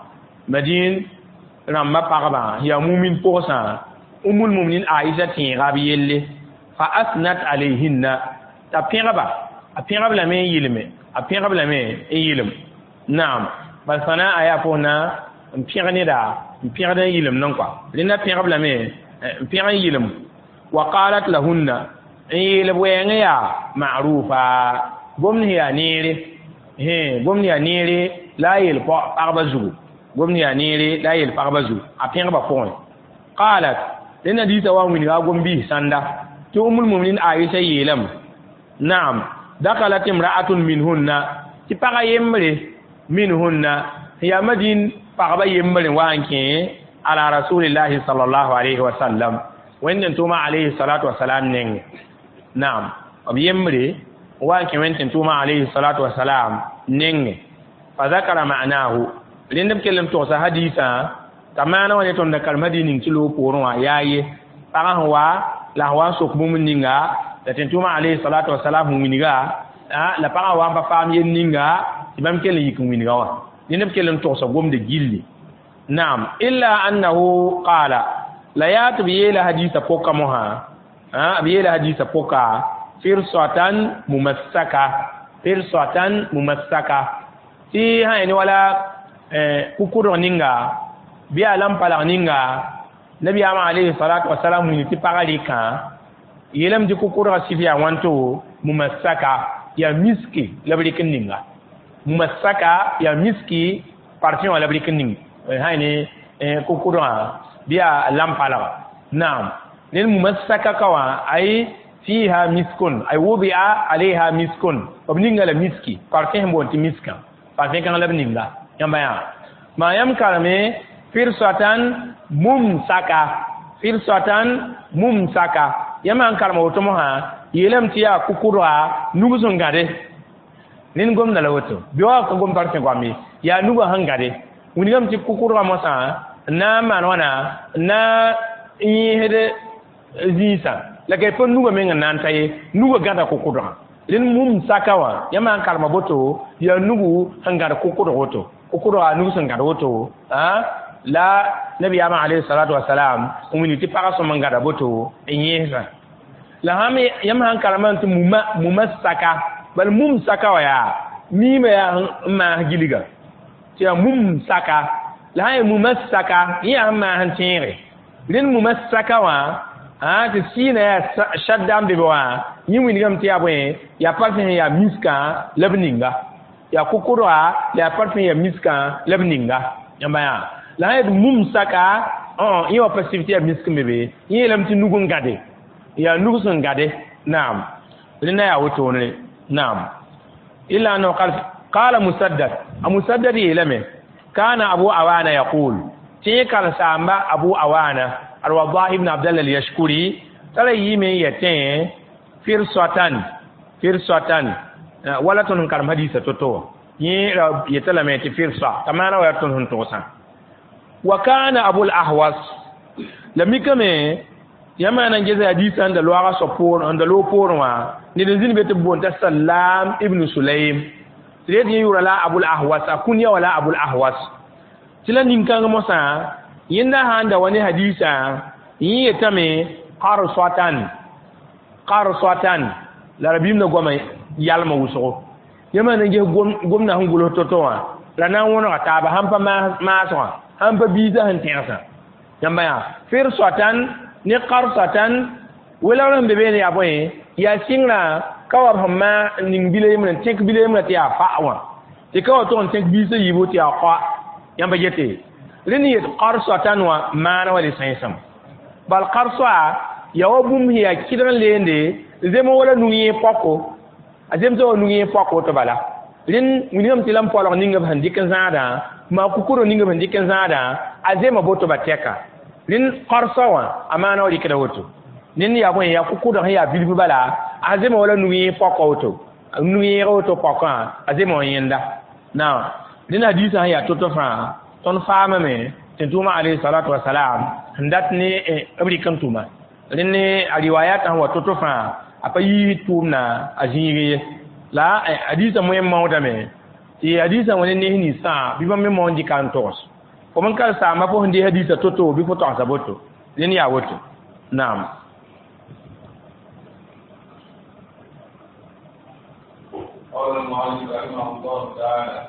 Madin rãmbã pagba yaa mumin pʋgsã. Umul Muminin Aisha tẽega b yelle. Fa asnat alayhinna, t'a pẽgba, a pẽgb lame n yɩlme, a pẽgb lame n yɩlem. Naam, bal sãna a yaa pʋgna n pẽg neda, n pẽgd n yɩlem nan kɔa. Rẽnda pẽgb lame n pẽg n yɩlem. Wa qalat lahunna, n yeel b wɛɛngẽ yaa ma'rufa, gomd sẽn yaa neere, gomd yaa neere la a yeel pagba zugu, gomd yaa neere la a yeel pagba zugu, a pẽgba pʋgẽ. Qalat, rẽnda diisã wa n wilga a gom-biis sãnda tɩ Umul Muminin Aisha yeelame. Naam, dakalat imra'atun minhunna, tɩ pagã yembre, minhunna sẽn yaa Madin pagba yembre, wa n kẽ ala rasulillahi sallallahu alayhi wa sallam, Wẽnd n tʋʋma alayhi salatu wasalam nengẽ. Naam, b yembre wa n kẽ Wẽnd tɩ tʋʋma alayhi salatu wasalam nengẽ. Fa zakara ma'nahu, rẽnd b kell n togsa hadisã t'a maana wã ne tõnd da karem hadis ning tɩ loog poorẽ wã yaa ye pagã sẽn wa la sẽn wa n sok bũmb ninga la tɩ tʋʋma alayhi salatu wasalam sẽn wilga la pagã wa n pa faam yel ninga tɩ bãmb kell n yik n wilga wã. Rẽnd b kell n togsa gomda gilli. Naam, illa annahu qala, la yaa tɩ b yeela hadisã pʋka mosã, b yeela hadisã pʋka firsatan mumassaka, firsatan mumassaka, tɩ sã ne wala kʋkʋdg ninga bɩ a lam-palg ninga nabiyaamã alayhi salatu wasalam wilg tɩ pagã rɩkã yeelame tɩ kʋkʋdgã sɩf yaa wãnto mumassaka, yaa miski la b rɩk n ninga. Mumassaka yaa miski parfum wã la b rɩk n ning sã ne kʋkʋdgã bɩ yaa lam-palga. Naam, ned mumassaka ka wã ay fiha miskun, ay wudia alayha miskun, b ninga la miski parfum sẽn boond tɩ miskã, parfum kãng la b ninga. Yãmba yaa maa yãmb kareme firsatan mumsaka, firsatan mumsaka. Yãmb sãn karem woto mosã yeelame tɩ yaa kʋkʋdga nug sẽn gãde. Rẽnd gomda la woto bɩ wa ka gom parfum goam ye, yaa nugã sẽn gãde wilgame tɩ kʋkʋdgã mosã n na n maan wãna n na n yẽesd zĩisã la ka pa nugã meng n na n ta ye, nugã gãda kʋkʋdgã. Rẽnd mumsaka wã yãmb sãn karema boto yaa nugu sẽn gãd kʋkʋdg woto, kʋkʋdga nug sẽn gãd woto la nabiyaamã alayhi salatu wasalam n wilg tɩ pagã sõm n gãda boto n yẽesã. La sãn yãmb sãn karemã tɩ mumassaka, bal mumsaka wã yaa miimã yaa n maas gilga tɩ yaa mumsaka, la sã yaa mumassaka yẽ yaa sẽn maas n tẽege. Rẽnd mumassaka wã tɩ sɩɩnã yaa shadda n be be wã, yẽ wilgame tɩ yaa bõe, yaa parfum sẽn yaa miskã la b ninga, yaa kʋkʋdga la yaa parfum yaa miskã la b ninga. Yãmba yaa la sã yaa mumsaka yẽ wa pa sɩf tɩ yaa misk n be be, yẽ yeelame tɩ nug n gãde, yaa nug sẽn gãde. Naam, rẽnda yaa wotone. Naam, illa annahu qala, qala Musaddad, a Musaddad yeelame: kana Abu Awana yaqul. Tɩ karen-saamba Abu Awana Al-Wadah ibn Abdallah al-Yashkuri tara yɩɩme n yetẽ firsatan firsatan wala tõnd sẽn karem hadiisã to-to wã yẽ ra yeta lame tɩ firsa t'a maana wa yaa tõnd sẽn togsã wa kana Abul Ahwas la mikame yãmb na n ges hadiisã n da loaga soab poor n da loog poorẽ wã ned n zĩnd be tɩ b boond t'a Salam ibn Sulaym tɩ d yet yẽ yʋʋra la Abul Ahwas a kũnya wa la Abul Ahwas tɩ la nin-kãng mosã yẽnda sã n da wa ne hadiisã yẽ yetame qarsatan qarsatan la rabiim na goama yalma wʋsgo yãmb na n ges gomdã sẽn gʋls to-to wã la na n wõnega taaba sãn pa maasgã sãn pa biisã sẽn tẽgsã yãmba yaa firsatan ne qarsatan welgr sẽn be beene yaa bõe yaa sɩngrã ka wa b sẽn maa ning bila yembrã n tẽk bila yembrã tɩ yaa fa wã tɩ ka wa tog n tẽk biisã yiibu tɩ yaa qa yãmba yete rẽnd yet qarsatan wã maana wa le sẽnsem bal qarsa yaa wa bũmb sẽn yaa kɩdg n leende zem wala nu-yẽeg pɔko a zemsa wa nu-yẽeg pɔko tɩ bala rẽnd wilgame tɩ la n polg ning b sẽn dɩk n zãadã maa kukuro ning b sẽn dɩk n zãadã a zema boto ba tɛka rẽnd qarsa wã a maana wa rɩkda woto rẽnd yaa bõe yaa kukudg sẽn yaa bilf bala a zema wala nu-yẽeg pɔka woto nu-yẽeg woto pɔkã a zema wa yẽnda naam rẽnd hadiisã sẽn yaa to-to fãa tõnd faamame tɩ tʋʋma alayhi salatu wasalam sẽn dat ne b rɩk n tʋma rẽnd ne a riwayat sẽn wa to-to fãa a pa yiis tʋʋmna a zĩig ye la hadiisã moẽ maoodame tɩ hadiisã wa ne nes ninsã bɩ bãmb me maoond dɩka n togs fo n ka saamba fo sẽn dee hadiisã to-to bɩ fo togsa boto rẽnd yaa woto naam. قال المؤلف رحمه الله تعالى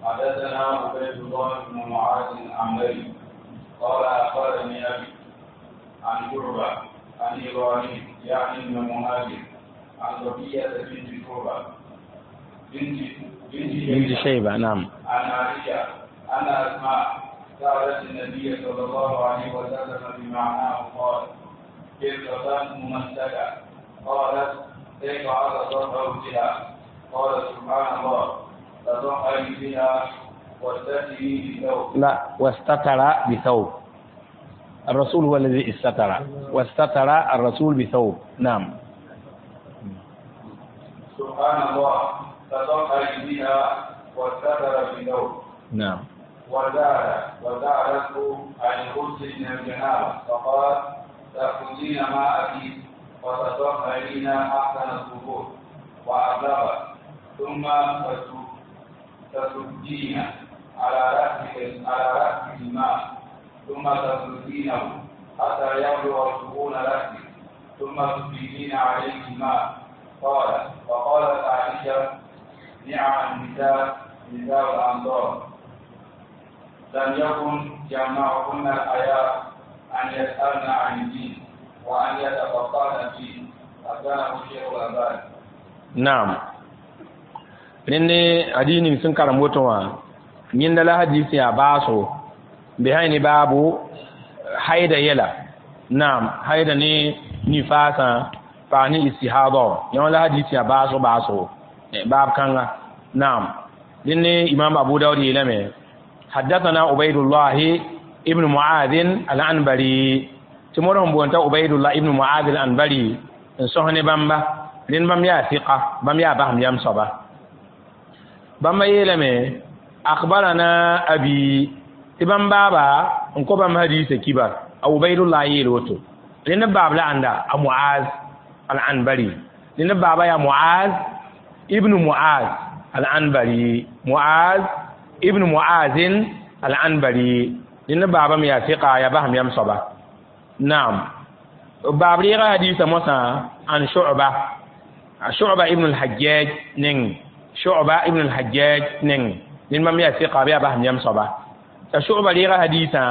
حدثنا عبيد الله بن معاذ العنبري قال اخبرني ابي عن شعبه عن ابراهيم يعني ابن مهاجر عن صفيه بنت شعبه بنت شيبه نعم عن عائشه ان اسماء سالت النبي صلى الله عليه وسلم بمعناه قال فرقة ممسكه قالت كيف اتطهر بها؟ قال سبحان الله تطهري بها واستتري بثوب. لا واستتر بثوب الرسول هو الذي استتر واستتر الرسول بثوب نعم. سبحان الله تطهري بها واستتر بثوب. نعم. وزادته عن الغسل من الجنابه فقال تأخذين ماءك وتطهرين أحسن الطهور وأبلغ ثم تسجين على رأسك الماء ثم تسجينه حتى يبلغ شؤون رأسك ثم تفيدين عليه الماء. قال فقالت عائشة نعم النساء نساء الأنصار لم يكن يمنعهن الحياء أن يسألن عن الدين وأن يتفقهن فيه. حسنه الشيخ الألباني. نعم. Rẽnd hadiis ning sẽn karem woto wã yẽnda la hadiis yaa baaso behay ne baabu haida yɛla naam haida ne nifaasã paas ne istihada yã la hadiis yaa baasg baasgo baab kãnga naam rẽnd ne imam Abu Dawud yeelame حدثنا عبيد الله ابن معاذ العنبري tɩ modg n boonta Ubaydullah ibn Mu'adh al-Anbari n sõs ne bãmba rẽnd bãmb yaa sɩka bãmb yaa basem yam soaba bãmba yeelame akhbarana abi tɩ bãmb baaba n kõ bãmb hadiisã kibar a Ubaydullah yeel woto rẽnd baab la ãnda a Mu'az al-Anbari rẽnd baaba yaa Mu'az ibn Mu'az al-Anbari Mu'az ibn Mu'az al-Anbari rẽnd baaba me yaa sɩka yaa basem yam soaba naam baab reega hadiisã mosã an Shu'ba Shu'ba ibn al-Hajjaj neng Shu'ba ibn al-Hajjaj neng ned bãmb yaa sɩka bɩ yaa basem yam soaba t'a Shu'ba reega hadiisã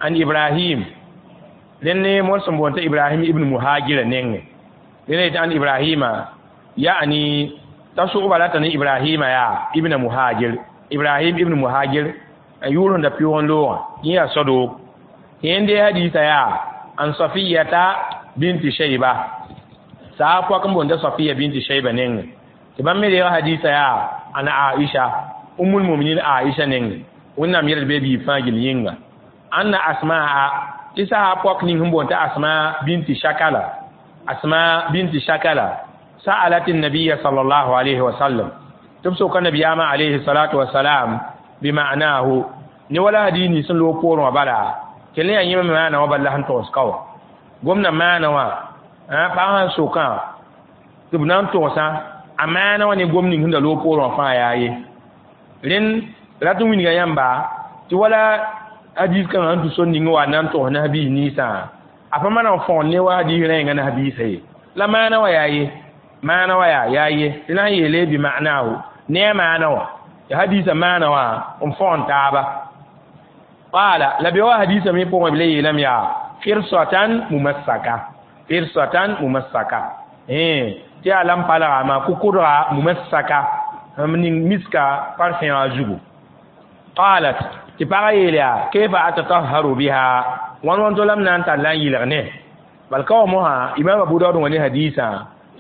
an Ibrahim rẽnd ne mod sẽn boond t'a Ibrahim ibn Muhajira nenge rẽnd yetɩ an Ibrahima ya'ni t'a Shu'ba rata ne Ibrahima yaa ibn Muhajir Ibrahim ibn Muhajir a yʋʋr sẽn da pɩʋʋg n loogã yẽ yaa sodoog yẽnd dee hadiisã yaa an Safiyata binti Shayba saa pɔk n boond t'a Safiya binti Shayba nenge tɩ bãmb me reega hadiisã yaa an Aisha ummul muminin Aisha nenge wẽnnaam yɛl bee biig fãa gill yĩnga Anna Asmaa tɩ sahab pɔk ning sẽn boond tɩ Asma binti Shakala, Asma binti Shakala sa'alat an-nabiy sallallahu alayhi wa sallam, tɩ b soka nabiyaamã alayhi salatu wasalam bima'nahu ne wala hadis nins sẽn loog poorẽ wã bala kell yaa yẽmame maana wã bala sẽn togs ka wã gomdã maana wã pag sãn sokã tɩ b na n togsã a maana wã ne gom ning sẽn da loog poorẽ wã fãa yaa ye rẽnd rat n wilga yãmba tɩ wala hadis kãngã sẽn tũ sor ning wa na n togs nabiis ninsã a pa mana n fõgen ne wa hadis rẽengã nabiisã ye la maana wã yaa ye maana wã yaa ye tɩ na n yeele bi ma'nahu ne a maana wã ya hadisa maana wã n fõgen taaba. Qala la be wa hadisa me pʋgẽ b le yeelame yaa firsatan mumassaka, firsatan mumassaka tɩ yaa lam palga maa kʋkʋdga mumassaka m ning miska parfẽ wã zugu. Qalat tɩ pagã yeel yaa kayfa atatahharu biha wãn wãn to la m na n tar la n yɩlg ne bal ka wa mosã Imam Abu Daud wã ne hadisã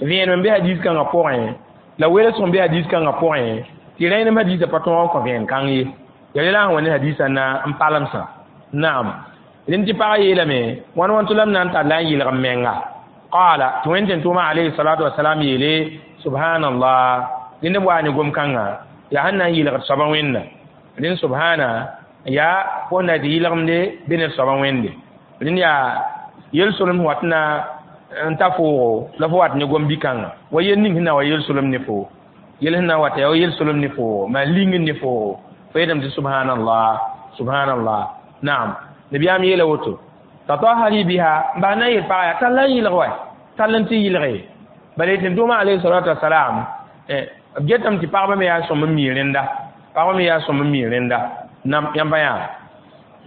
vẽenem n be hadis kãngã pʋgẽ la welsg n be hadis kãngã pʋgẽ tɩ rẽenem hadisã pa tõog n kõ vẽen kãng ye ya la sẽn wa ne hadisã na n palemsã. Naam rẽnd tɩ pagã yeelame wãn wãn to la m na n tar la n yɩlg m menga. Qala tɩ wẽnd tẽn-tʋʋmã alayhi salatu wasalam yeele subhanallah rẽnd b waa ne gom-kãngã yaa sẽn na n yɩlgd soabã wẽnna rẽnd subhana yaa fo na tɩ yɩlgemde be ne soabã wẽnde rẽnd yaa yel-solem wat na n ta foogo la fo wat ne gom-bi-kãngã wa yel ning sẽn na wa yel-solem ne foo yel sẽn na wata yaa wa yel-solem ne foogo maa ling ne foogo fo yeelame tɩ subhanallah subhanallah. Naam nabiyaam yeela woto tatahari biha n bas na n yel pagã yaa tall n yɩlg wa tall n tɩ yɩlge bala tẽn-tʋʋmã alayhi salatu wasalam b getame tɩ pagba me yaa sõm n mi rẽnda pagba me yaa sõm n mi rẽnda nam yãmba yaa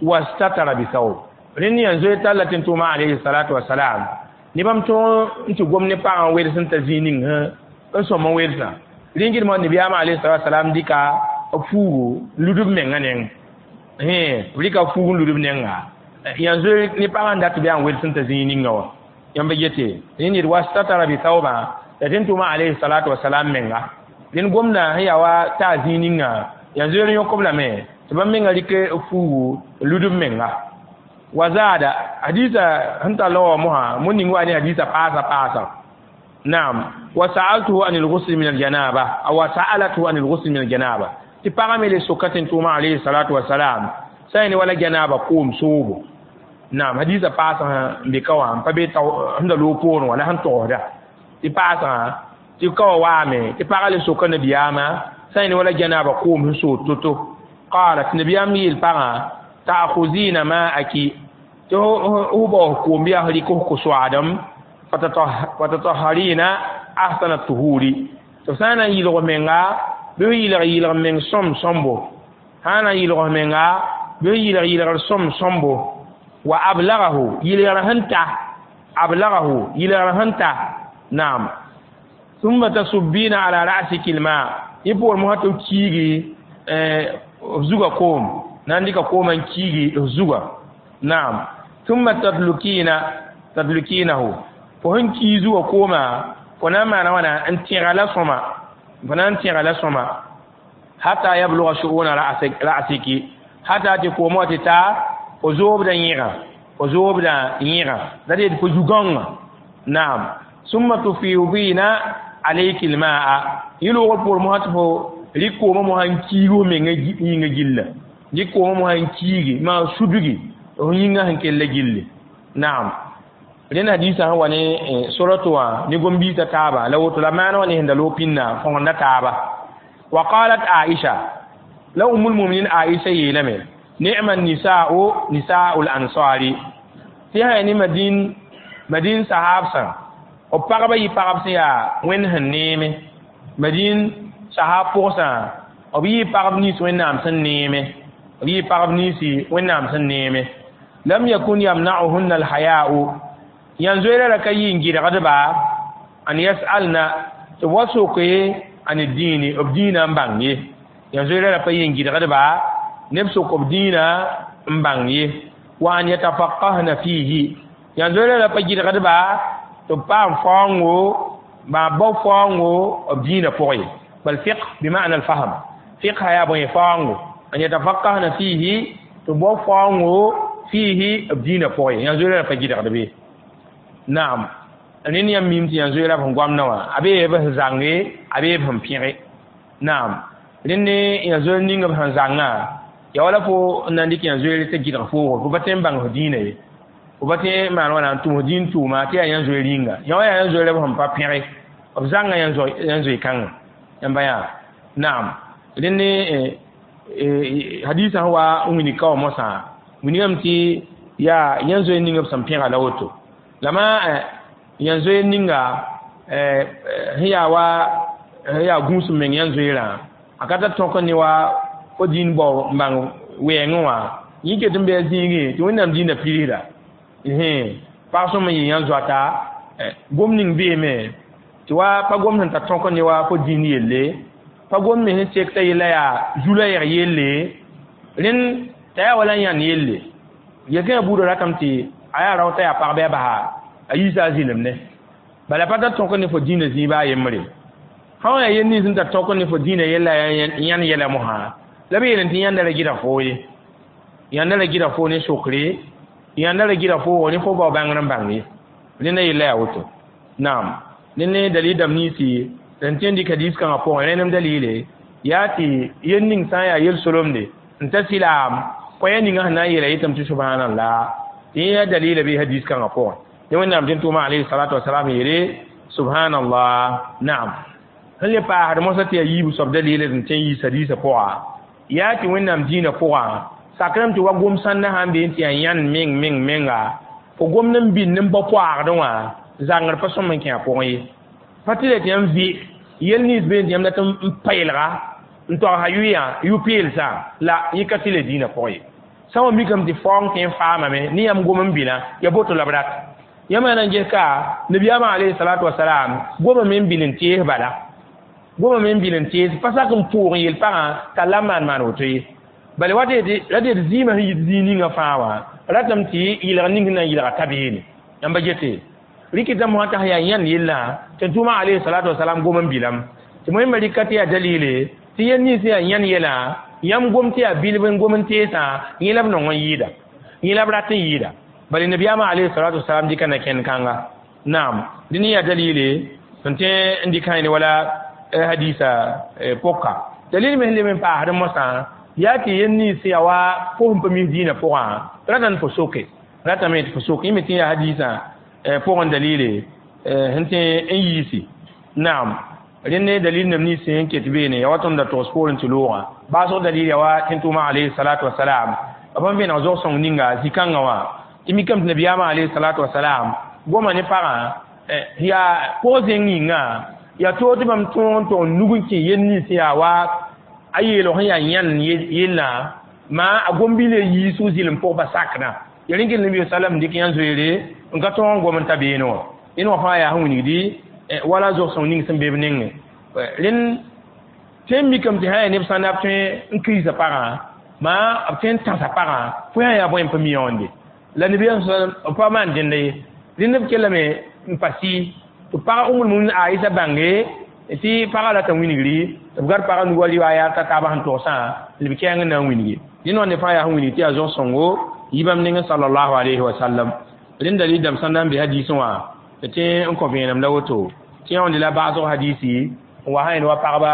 wastatara bisaub rẽnd yã zoe talla tẽn-tʋʋmã alayhi salatu wasalam ne bãmb tõog n tɩ gom ne pagã n wels n ta zĩig ning n sõm n welsã rẽnd gɩdmã nabiyaamã alayhi salatu wasalam dɩka b fuugu n lud b mengã neng b rɩka fuug n lud b nenga yã zoe ne pagã n dat bɩ yaa n wels n ta zĩig ninga wã yãmba gete rẽnd yet wastatara bisaubã la tẽn-tʋʋmã alayhi salatu wasalam menga rẽnd gomdã sẽn yaa wa taa zĩig ninga yã zoeer yõk-b lame tɩ bãmb menga rɩk fuugu n lud b menga wa zaada hadisa sẽn tall wa mosã mo ning wa ne hadisa paasa paasa. Naam wa sa'altuhu an al-ghusl min al-janaba aw wa sa'alatuhu an al-ghusl min al-janaba tɩ pagã me le soka tẽn-tʋʋmã alayhi salatu wasalam sã ne wala janaba koom soobo. Naam hadisa paasã n be ka wã n pa be sẽn da loog poorẽ wã la sẽn togsda tɩ paasã tɩ ka wa waame tɩ pagã le soka nabiyaamã sã ne wala janaba koom sẽn sood to-to. Qala tɩ nabiyaam yeel pagã ta'khuzina ma'aki tɩ f baoos koom bɩ yaa f rɩk f ko-soaadem fatatahharina ahsana tuhuri tɩ f sã n na n yɩlg f menga bɩ f yɩlg yɩlg meng sõm sõmbo sã n na n yɩlg f menga bɩ f yɩlg yɩlgr sõm sõmbo wa ablagahu yɩlgr sẽn ta ablagahu yɩlgr sẽn ta. Naam thumma tasubbina ala ra'siki alma yẽ poor mosã tɩ f kiigi f zuga koom na n dɩka koomã n kiigi f zuga. Naam thumma tadlukina tadlukinahu fo sẽn kii zuga koomã fo na n maana wãna n tẽga la sõma fo na n tẽga la sõma hata yabluga shu'una ra'siki hata tɩ koomã wa tɩ ta fo zoobdã yẽga fo zoobdã yẽga la d yetɩ fo zu-gãongã. Naam summa tufidina alayki almaa yẽ loogr poor mosã tɩ fo rɩk koomã mosã n kiig f menga yĩnga gilla rɩk koomã mosã n kiigi maa sudgi f yĩngã sẽn kell gilli. Naam rẽnd hadisã sẽn wa ne sorato wã ne gom-biisã taaba la woto la maana wã ne sẽn da loog pĩnna fõgenda taaba. Wa qalat Aisha la ummul muminin Aisha yeelame ni'ma nisa'u nisa'u al-ansari tɩ sã yaa ne madin madin sahabsã b pagba yɩ pagb sẽn yaa wẽnd sẽn neeme madin sahab pʋgsã b yɩ pagb nins wẽnnaam sẽn neeme b yɩ pagb ninsi wẽnnaam sẽn neeme lam yakun yamna'uhunna al-haya'u yãn zoeera ra ka yɩ n gɩdgdba an yas'alna tɩ b wa soke an diini b dĩinã n bãng ye yãn zoeera ra pa yɩ n gɩdgdba neb sok b dĩinã n bãng ye wa an yatafaqahna fihi yãn zoeera ra pa gɩdgdba tɩ b paam faoongo maa bao faoongo b dĩinã pʋgẽ ye bal fiqh bima'na alfahm fiqha yaa bõe faoongo an yatafaqahna fihi tɩ b bao faoongo Fihi b dĩinã pʋgẽ yã-zoeerã pa gɩdgd be. Naam, rẽnd yãmb mim tɩ yã-zoeerã b sẽn goamdã wã a bee b sẽn zãnge, a bee b sẽn pẽge. Naam, rẽnd yã-zoeer ning b sẽn zãngã ya wala fo n na n dɩk yã-zoeer tɩ gɩdg foogo, fo pa tõe n bãng f dĩinã ye, fo pa tõe n maan wãna n tʋm f dĩin tʋʋma tɩ yaa yã-zoeer yĩnga. Yã wa yaa yã-zoeerã b sẽn pa pẽge, b zãnga yã-zoe-kãngã yãmba yaa. Naam, rẽnd hadisã sẽn wa n wilg ka wã mosã wilgame tɩ yaa yã-zoeer ning b sẽn pẽga la woto. La maa yã-zoeer ninga sẽn yaa wa sẽn yaa gũus meng yã-zoeerã a ka tar tõk ne wa fo dĩin bao n bãng wɛɛngẽ wã yẽ ket n bɩ a zĩigẽ tɩ Wẽnnaam dĩinã pirsda pag sõm n yɩ yã-zoata gom ning beeme tɩ wa pa gom sẽn tar tõk ne wa fo dĩin yelle, pa gom me sẽn sek t'a yella yaa zu-la-yɛg yelle, rẽnd t'a yaa wala n yãnd yelle. Yel-kẽngã buudã ratame tɩ a yaa rao t'a yaa pag bɩ a basa a yiisa a zɩlemne. Bala pa tar tõk ne fo dĩinã zĩig baa a yembre. Sã n yaa yel nins sẽn tar tõk ne fo dĩinã yella yãnd yɛla mosã la b yeelame tɩ yãnda ra gɩdg foo ye, yãnda ra gɩdg foo ne sokre, yãnda ra gɩdg foogo ne fo bao bãngr n bãng ye. Rẽnda yella yaa woto. Naam, rẽnd ne dalil dãmb ninsi sẽn tõe n dɩk hadis kãngã pʋgẽ rẽnem dalile yaa tɩ yel ning sã n yaa yel-solomde n ta sɩlaam koɛɛg ninga sẽn na n yeela yetame tɩ subhanallah tɩ yẽ yaa dalila bɩ hadis kãngã pʋgẽ. Ne Wẽnnaam tɩ n tʋʋma alayhi salatu wasalam yeele subhanallah. Naam, sẽn le paasd mosã tɩ yaa yiib soab dalila sẽn tõe n yiis hadisã pʋga yaa tɩ Wẽnnaam dĩinã pʋgã sakrame tɩ wa gom sãndã sãn bee tɩ yaa yãnd meng meng menga fo gomd n bĩnd n bao poaagdẽ wã zãngr pa sõm n kẽ a pʋgẽ ye. Pa tɩ la tɩ yãmb vɩ yel nins bee tɩ yãmb dat n paelga n toagsa yʋyã yʋ-peelsã la yẽ ka tɩ la dĩinã pʋgẽ ye. Sã wa mikame tɩ faoong tõe n faamame ne yãmb gom n bĩna ya boto la b rat. Yãmb yaa na n ges ka nabiyaamã alayhi salatu wasalam gomame n bĩn n tees bala, gomame n bĩn n tees pa sak n pʋʋg n yel pagã t'a la maan maan woto ye. Bala wa ra tɩ d zɩɩmã sẽn yit zĩig ninga fãa wã ratame tɩ yɩlg ning sẽn na n yɩlga ta beene. Yãmba gete rɩkɩta mosã t'a sẽn yaa yãnd yellã tɩ n tʋʋmã alayhi salatu wasalam gom n bilam tɩ wẽnnaam rɩka tɩ yaa dalile tɩ yel nins sẽn yaa yãnd yɛlã yãmb gom tɩ yaa bilb n gom n teesã yẽ la b nong n yɩɩda, yẽ la b rat n yɩɩda. Bala nabiyaamã alayhi salatu wasalam dɩka na-kẽnd kãnga. Naam, dẽn yaa dalile sẽn tõe n dɩk ne wala hadisa pʋka. Dalil me sẽn leb n paasd mosã yaa tɩ yel nins sẽn yaa wa fo sẽn pa mis dĩinã pʋgã ratame fo soke, ratame tɩ fo soke yẽ me tɩ yaa hadisã pʋgẽ dalile sẽn tõe n yiisi. Naam, rẽnd ne dalil nem nins sẽn ket beene yaa wa tõnd da togs poorẽ tɩ loogã baasg dalil yaa wa tɩ n tʋʋma alayhi salatu wasalam b sẽn vẽneg zog-sõng ninga zĩ-kãngã wã tɩ mikame tɩ nabiyaamã alayhi salatu wasalam goma ne pagã yaa pʋg zẽng yĩnga yaa toog tɩ bãmb tõog n tog n nug n kẽ yel nins yaa wa a yeelg sẽn yaa yãnd yellã maa a gom-bilã yiisg zɩlem pʋg pa sakdã ya rẽn kell nabi sallam dɩk yãn-zoeere n ka tõog n gom n ta beene wã. Dẽn wã fãa yaa sẽn wilgdi wala zog-sõng ning sẽn be b nengẽ. Rẽnd tõe n mikame tɩ sã yaa neb sãnda b tõe n kirsa pagã maa b tõe n tãsa pagã fo sã yaa bõe n pa mi yõonde la nabiyaam b pa maan dẽnda ye. Rẽnd b kellame n pa sɩ tɩ pag Umul Muminin Aïsa bãnge tɩ pagã rata wilgri tɩ b gad pagã nug wa riwaaya t'a taabã sẽn togsã b kɛɛng n na n wilgi. Dẽn wã ne fãa yaa sẽn wilg tɩ yaa zog-sõngo yɩ bãmb nengẽ sallallahu alayhi wa sallam. Rẽnd dalil dãmb sãn na n be hadisẽ wã tɩ tõe n kõ vẽenem la woto tɩ yãonde la baasg hadisi n wa sã wa pagba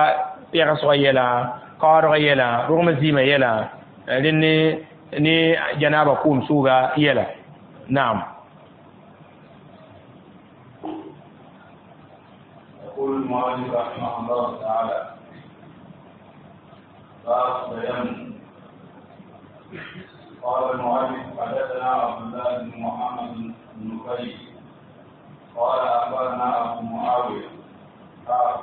pɛgsgã yɛla, kaoodgã yɛla, rogmã zɩɩmã yɛla, rẽnd ne janaaba kʋʋm sʋʋga yɛla. Naam. يقول المؤلف رحمه الله تعالى: باب التيمم. قال المؤلف: حدثنا عبد الله بن محمد بن نفيل قال أخبرنا أبو معاوية قال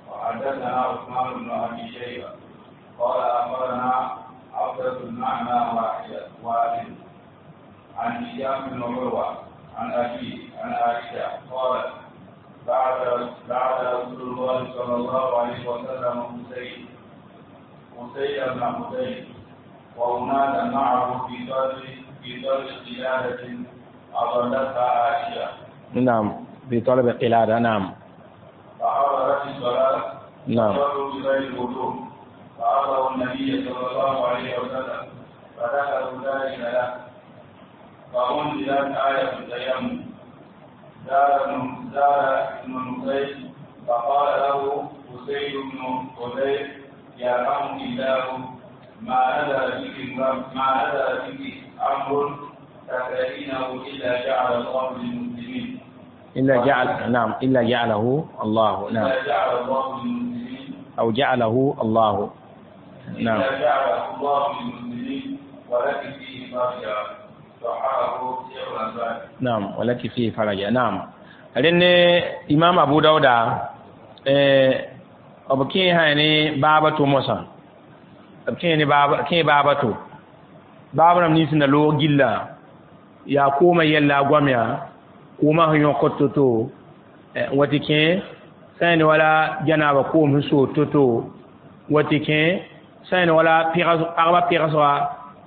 وحدثنا عثمان بن أبي شيبة قال أخبرنا عبدة المعنى واحد عن هشام بن عروة عن أبيه عن عائشة قالت: بعث رسول الله صلى الله عليه وسلم أسيد بن حضير وأناسا معه في طلب قلادة أضلتها عائشة. نعم، في طلب قلادة. نعم. فحضرت الصلاة. نعم. فصلوا بغير وضوء فأتوا النبي صلى الله عليه وسلم فذكروا ذلك له. فأنزلت آية التيمم. زاد ابن نفيل فقال له أسيد بن حذير يرحمك الله ما نزل بك أمر تكرهينه إلا جعل الله للمسلمين. إلا جعل، نعم، إلا جعله الله، نعم، إلا جعل الله للمسلمين أو جعله الله، نعم، إلا جعله الله للمسلمين ولك فيه فرجا. صححه شيخ الألباني. نعم، ولك فيه فرجا. نعم. لأن إمام أبو داود أبكي هاني بابا موسى أبكي بابا كي بابا تو بابا نمني لو جلا يا كوما يلا غواميا kooma sẽn yõkd to-to wa tɩ kẽ sã n wala janaaba koom sẽn sood to-to wa tɩ kẽ sã n wala pagba pɩgsga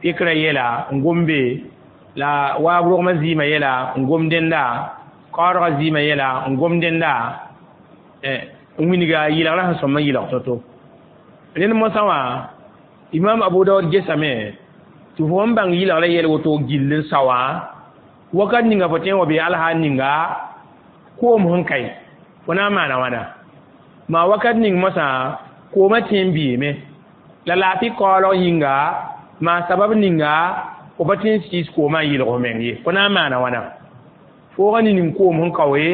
pɩkrã yɛla n gom be la waab rogmã zɩɩmã yɛla n gom dẽnda kaoodgã zɩɩmã yɛla n gom dẽnda n wilga yɩlgrã sẽn sõm n yɩlg to-to rẽnd mosã wã imam Abu Daud gesame tɩ fo sẽn bãng yɩlgrã yɛl woto gill n sa wã wakat ninga fo tõe n wa bee alhaal ninga koom sẽn kae fo na n maana wãna maa wakat ning mosã koomã tẽ n beeme la laafɩ kaoolg yĩnga maa sabab ninga fo pa tõe n sɩɩs koomã n yɩlg f meng ye fo na n maana wãna foogã ning koom sẽn kaoe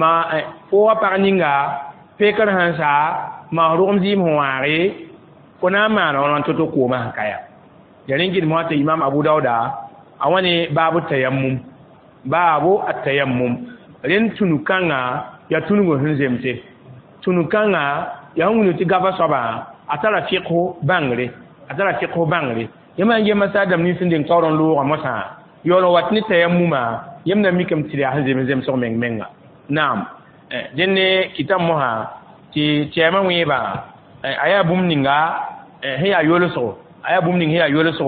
maa foogã pag ninga pekr sẽn sa maa rogem zɩɩm sẽn wãage fo na n maana wãna to-to koomã sẽn kaya ya rẽn gɩdem wã tɩ imam Abu Dauda a wãne baabu tayammum baabu atayammum rẽnd tũnu kãnga yaa tũnug sẽn zemse tũnu kãnga yaa sẽn wilg tɩ gaba soabã a tara fiqh bãngre a tara fiqh bãngre yãmb sãn gema saadam nins sẽn deng taoor n loogã mosã yaool n wat ne tayammuma yãmb na mikame tɩ yaa sẽn zems zemsg meng menga naam dẽnd ne kɩtame mosã tɩ tɛɛmã wẽebã a yaa bũmb ninga sẽn yaa yolsgo a yaa bũmb ning sẽn yaa yolsgo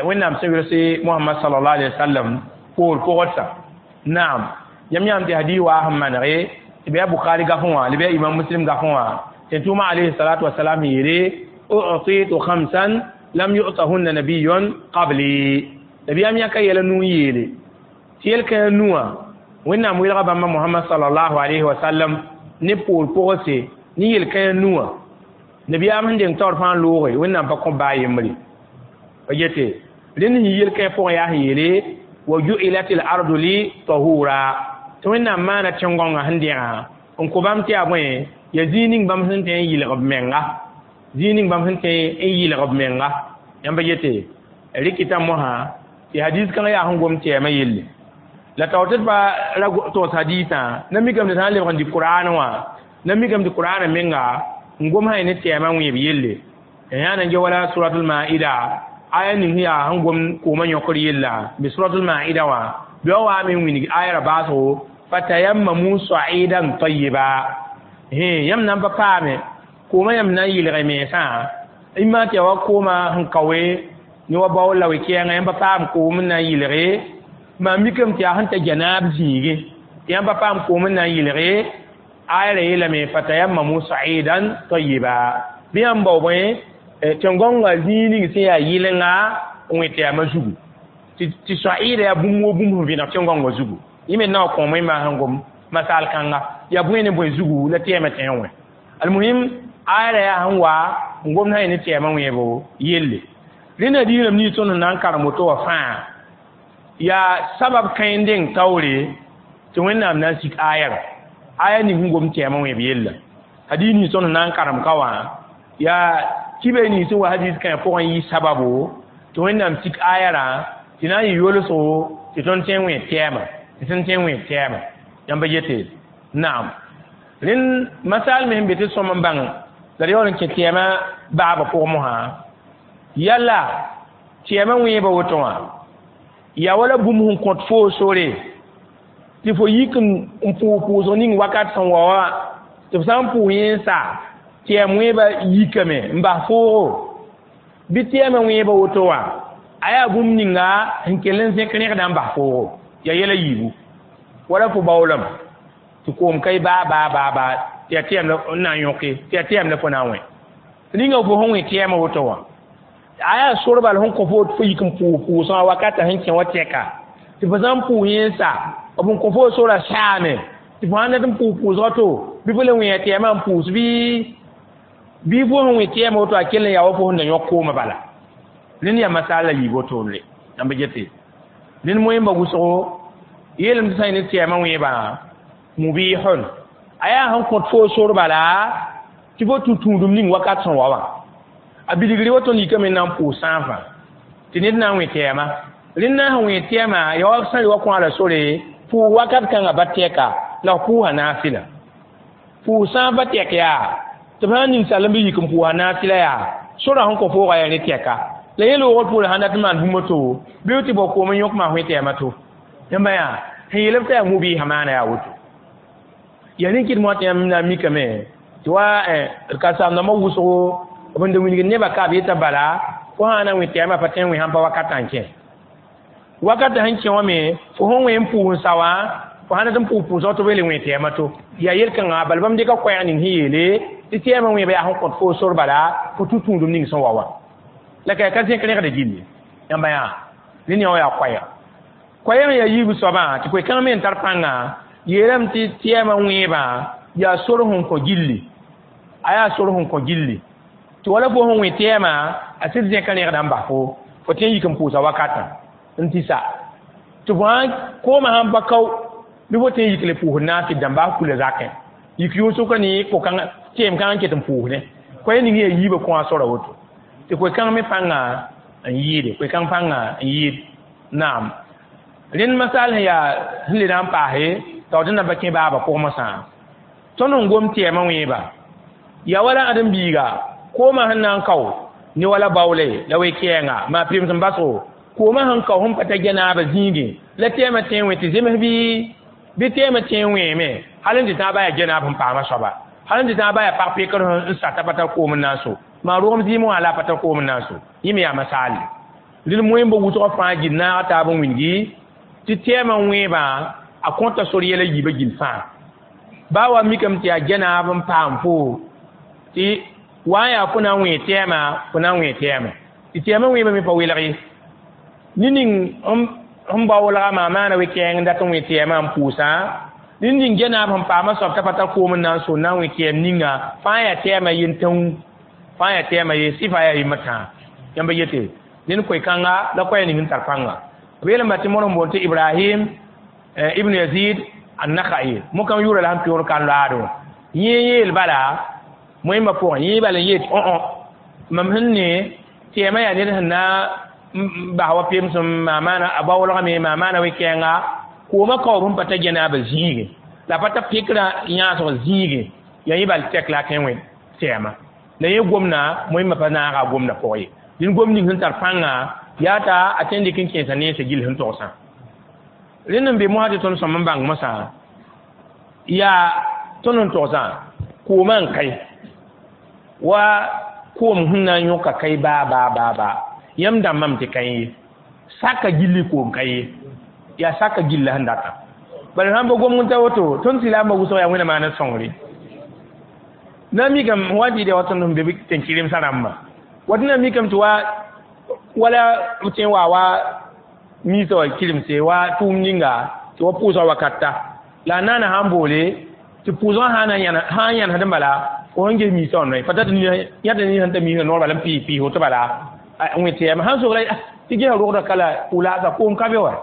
wẽnnaam sẽn welse Muhammad sallallahu alaihi wasallam poor pʋgdsa naam yãmb yãam tɩ hadis waa sẽn manege tɩ bɩ a Bukhari gafẽ wã la bɩ a imam Muslim gafẽ wã tɩ tʋʋma alayhi salatu wasalam yeele u'titu khamsan lam yu'tahunna nabiyyun qabli nabiyaam yãka yɛla nuu yeele tɩ yel-kãã nuwã wẽnnaam welga bãmba Muhammad sallallahu alaihi wasallam ne poor pʋgse ne yel-kãã nuwã nabiyaam sẽn deng taoor fãa looge wẽnnaam pa kõ baa yembre pa yete rẽnd sẽn yel-kãã pʋgẽ yaa sẽn yeele wa ju'ilat al ardu li tahura tɩ wẽnnaam maana tẽn-gõngã sẽn dẽgã n kõ bãmb tɩ yaa bõe yaa zĩig ning bãmb sẽn tõe n yɩlg b menga zĩig ning bãmb sẽn tõe n yɩlg b menga yãmb yete rɩkɩta mosã tɩ hadis kãngã yaa sẽn gom tɛɛmã yelle la taoor tɩ d pa ra togs hadisã na mikame tɩ sã n lebg n dɩ Qur'an wã na mikame tɩ Qur'anã menga n gom sã ne tɛɛmã wẽeb yelle yã na n ge wala suratul maida aya ning sẽn yaa sẽn gom koomã yõkr yella bɩ suratul maida wã bɩ wa waame n wilg aya ra baasgo fatayammamu sa'idan tayyiba yãmb na n pa paame koomã yãmb na n yɩlge mensã n maa tɩ yaa wa koomã sẽn kaoe ne wa bao la we-kɛɛngã yãmb pa paam koom n na n yɩlge maa mikame tɩ yaa sẽn ta janaab zĩige tɩ yãmb pa paam koom n na n yɩlge aya ra yeelame fatayammamu sa'idan tayyiba bɩ yãmb bao bõe tẽn-gõngã zĩig ning sẽn yaa yɩlenga n wẽ tɩ yaa zugu tɩ sa'ida yaa bũmb wo bũmb sẽn vẽneg tẽn-gõngã zugu yẽ me na wa kõom wẽnnaam sẽn gom masal kãnga yaa bõe ne bõe zugu la tɛɛmã tẽ n wẽ almuhim aya ra yaa sẽn wa n gomd sã ne tɛɛmã wẽebo yelle rẽnda diiram nins tõnd sẽn na n karem woto wã fãa yaa sabab kãe n deng taoore tɩ wẽnnaam na n sik aya ra aya ning sẽn gom tɛɛmã wẽeb yella hadis nins tõnd sẽn na n karem ka wã yaa kibe nins sẽn wa hadis kãe pʋgẽ yɩ sababo tɩ wẽnnaam sik aya rã tɩ na n yɩ yolsgo tɩ tõnd tõe n wẽ tɛɛmã tɩ tõnd tõe n wẽ tɛɛmã yãmb yete naam rẽnd masal me sẽn be tɩ sõm n bãng la d yaool n kẽ tɛɛmã baabã pʋgẽ mosã yala tɛɛmã wẽebã woto wã yaa wala bũmb sẽn kõt foo sore tɩ fo yik n pʋʋs pʋʋsg ning wakat sẽn wa wã tɩ f sã n pʋʋs yẽ n sa tɛɛm wẽebã yikame n bas foogo bɩ tɛɛmã wẽebã woto wã a yaa bũmb ninga sẽn kell n zẽk rẽgdã n bas foogo yaa yɛla yiibu wala fo baoolame tɩ koom ka baa baa baa baa tɩ yaa tɛɛm n na n yõke tɩ yaa tɛɛm la fo na n wẽ ninga fo sẽn wẽ tɛɛmã woto wã Aya sor bal sẽn kõ fo tɩ fo yik n pʋʋs pʋʋsgã wakata sẽn kẽ wa tɛka tɩ fo sã n pʋʋs yẽnsa b n kõ fo sora saame tɩ fo sãn dat n pʋʋs pʋʋsgã to bɩ fo le wẽ tɛɛmã n pʋʋs bɩ fo sẽn wẽ tɛɛmã woto a kell n yaa wa fo sẽn da yõk koomã bala. Rẽnd yaa masaal la yiib wotone yãmb gete rẽnd moẽmba wʋsgo yeelame tɩ sã n ne tɛɛmã wẽebã mubihun a yaa sẽn kõt fo sor bala tɩ fo tũ tũudum ning wakat sẽn wa wã a bilgri wa tõnd yikame n na n pʋʋs sãafã tɩ ned na n wẽ tɛɛma rẽnd na sẽn wẽ tɛɛma ya wa sã wa kõ la sore pʋʋs wakat kãngã ba tɛka la f pʋʋsa naafɩla pʋʋs sãafã tɛk yaa tɩ b sã n ning sal n bɩ yik n pʋʋsa naafɩla yaa sora sẽn kõ foogã yaa ne tɛka la yẽ loogr poore sãn dat n maan bũmb to bɩ tɩ bao koom n yõk maa wẽ tɛɛma to yãmba yaa sẽn yeelb t'a yaa mubɩɩsã maana yaa woto yaa rẽ kɩd moa tɩ yãmb na n mikame tɩ wa d ka-saam-dãmbã wʋsgo b n da wilgd nebã ka b yeta bala fo sã na n wẽ tɛɛmã pa tõe n wẽ sãn pa wakatã n kẽ wakatã sẽn kẽ wã me fo sẽn wẽ n pʋʋs n sa wã fo sãn dat n pʋʋs pʋʋsg tɩ b le wẽ tɛɛmã to yaa yel-kãngã bala bãmb dɩka koɛɛg ning sẽn yeele tɩ tɛɛmã wẽeba yaa sẽn kõt fo sor bala fo tũ tũudum ning sẽn wa wã la ka zẽk rẽgda gilli yãmba yaa rẽnd yã wã yaa koɛɛg koɛɛg yaa yiib soabã tɩ koe-kãng me n tar pãnga yeelame tɩ tɛɛmã wẽebã yaa sor sẽn kõ gilli a yaa sor sẽn kõ gilli tɩ wala fo sẽn wẽ tɛɛmã a sɩd zẽka rẽgda n bas fo fo tõe n yik n pʋʋsa wakatã n tɩ sa tɩ fo sãn koomã sãn pa kao bɩ fo tõe n yik le pʋʋsd naafɩd dãmba a kula zakẽ yik yʋʋsʋka ne ko-kãngã tɛɛm kãngã n ket n pʋʋsdẽ koɛɛ ning yaa yiibã kõ a sora woto tɩ koe-kãng me pãnga n yɩɩde koe-kãng pãnga n yɩɩd naam rẽnd masaal sẽn yaa sẽn le na n paase t'a d na pa kẽ baabã pʋgẽ mosã tõnd n gom tɛɛmã wẽeba yaa wala ãdem-biiga koomã sẽn na n kao ne wala baoole la we-kɛɛnga maa pɩrems n basgo koomã sẽn kao sẽn pa ta gɛnaabã zĩigẽ la tɛɛmã tẽ n wẽ tɩ zems bɩ tɛɛmã tẽ n wẽeme hal n tɩ tãab yaa gɛnaab sẽn paamã soaba hal n tɩ tãab yaa pag pekr n sa t'a pa tar koom n na n so maa rogem zɩɩmẽ wã la a pa tar koom n na n so yẽ me yaa masaalle rẽnd moẽmbã wʋsgã fãa gil naag taab n wilgi tɩ tɛɛmã wẽebã a kõta sor yɛla yiibã gill fãa baa wa mikame tɩ yaa gɛnaab n paam fo tɩ wa n yaa fo na n wẽ tɛɛmã fo na n wẽ tɛɛmã tɩ tɛɛmã wẽebã me pa welg ye ne ning sẽn baoolga maa maana we-kɛɛng n dat n wẽ tɛɛmã n pʋʋsã ne ning gɛnaab sẽn paamã soab t'a pa tar koom n na n so n na n wẽ tɛɛm ninga fãa yaa tɛɛmã yentãu fãa yaa tɛɛmã ye sɩfa yaa yembr tãa yãmba yete ned koe-kãnga la koɛɛ ning n tar pãnga b yeelame tɩ modg n boond tɩ Ibrahim ibn Yazid an-Nakhai mokam yʋʋra la sẽn pɩʋʋr kan loaado yẽ yeel bala moẽmbã pʋgẽ yẽ bala n yeel tɩ õ mam sẽn ne tɛɛmã yaa ned sẽn na n bas wa pemsem maa maana a baoolgame maa maana we-kɛɛnga koomã kaoob sẽn pa ta gɛnaabã zĩige la pa ta pɩkrã yãasg zĩige yaa yẽ bal tɛk la a tõe n wẽ tɛɛmã la yẽ gomda moẽmbã pa naaga a gomda pʋgẽ ye dẽnd gom ning sẽn tar pãnga yaa t'a a tõe n dɩk n kẽesa nensã gill sẽn togsã rẽnd n be mosã tɩ tõnd sõm n bãng mosã yaa tõnd n togsã koomã n kae wa koom sẽn na n yõka kae baa baa baa baa yãmb dãmbame tɩ kae ye saka gilli koom ka ye yaa saka gilla sẽn datã bala sãn pa gomg n ta woto tõnd sɩlaambã wʋsg yaa wẽnna maan sõngre na mikame wa tɩ wa tõnd sẽn be tẽn-kɩremsã rãmbã wat na mikame tɩ wa wala b tõe n waa wa miisã wa kɩremse wa tʋʋm ninga tɩ wa pʋʋsga wakata la a naana sãn boole tɩ pʋʋsgã sã n yãnesd n bala fo sẽn ges miisã wã noe pa tat yãta nin sẽn ta miisã noor bala n pɩɩs woto bala wẽ tɛɛmã sãn sogla tɩ gesa rogda kala pʋʋlaasa koom ka be wa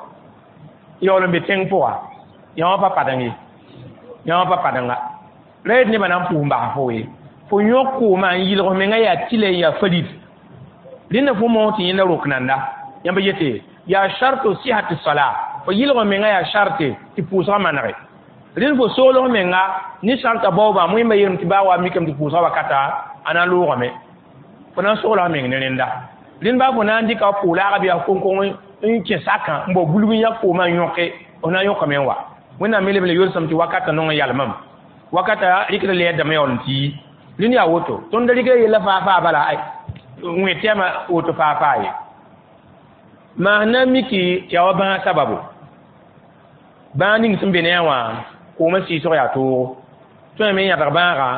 yaool n be tẽng pʋga yã wã pa padeng ye yã wã pa padenga ra yet nebã na n pʋʋs n bas fo ye fo yõk koomã n yɩlg f mengã yaa tɩla n yaa farid rẽnda fo moog tɩ yẽnda rok nanda yãmb yete yaa sharto sihati sala fo yɩlg f mengã yaa sharte tɩ pʋʋsgã manege rẽnd fo soolg menga ne sharta baoobã moẽmba yeelame tɩ baa wa mikame tɩ pʋʋsgã wakata a na n loogame fo na n sogla f meng ne rẽnda rẽnd baa fo na n dɩka pʋʋlaaga bɩ a koŋkong n kẽ sakã n bao bulg n yak koomã n yõke f na n yõkame n wa wẽnnaam me leb le yolsame tɩ wakata nong n yalmame wakata rɩkd lɛɛdame yaool n tɩ yi rẽnd yaa woto tõnd da rɩkda yella faa faa bala wẽ tɛɛmã woto faa faa ye maa na n miki tɩ yaa wa bãag sababu bãag ning sẽn be ne a wã koomã sɩɩsg yaa toogo tõe me n yãbg bãaga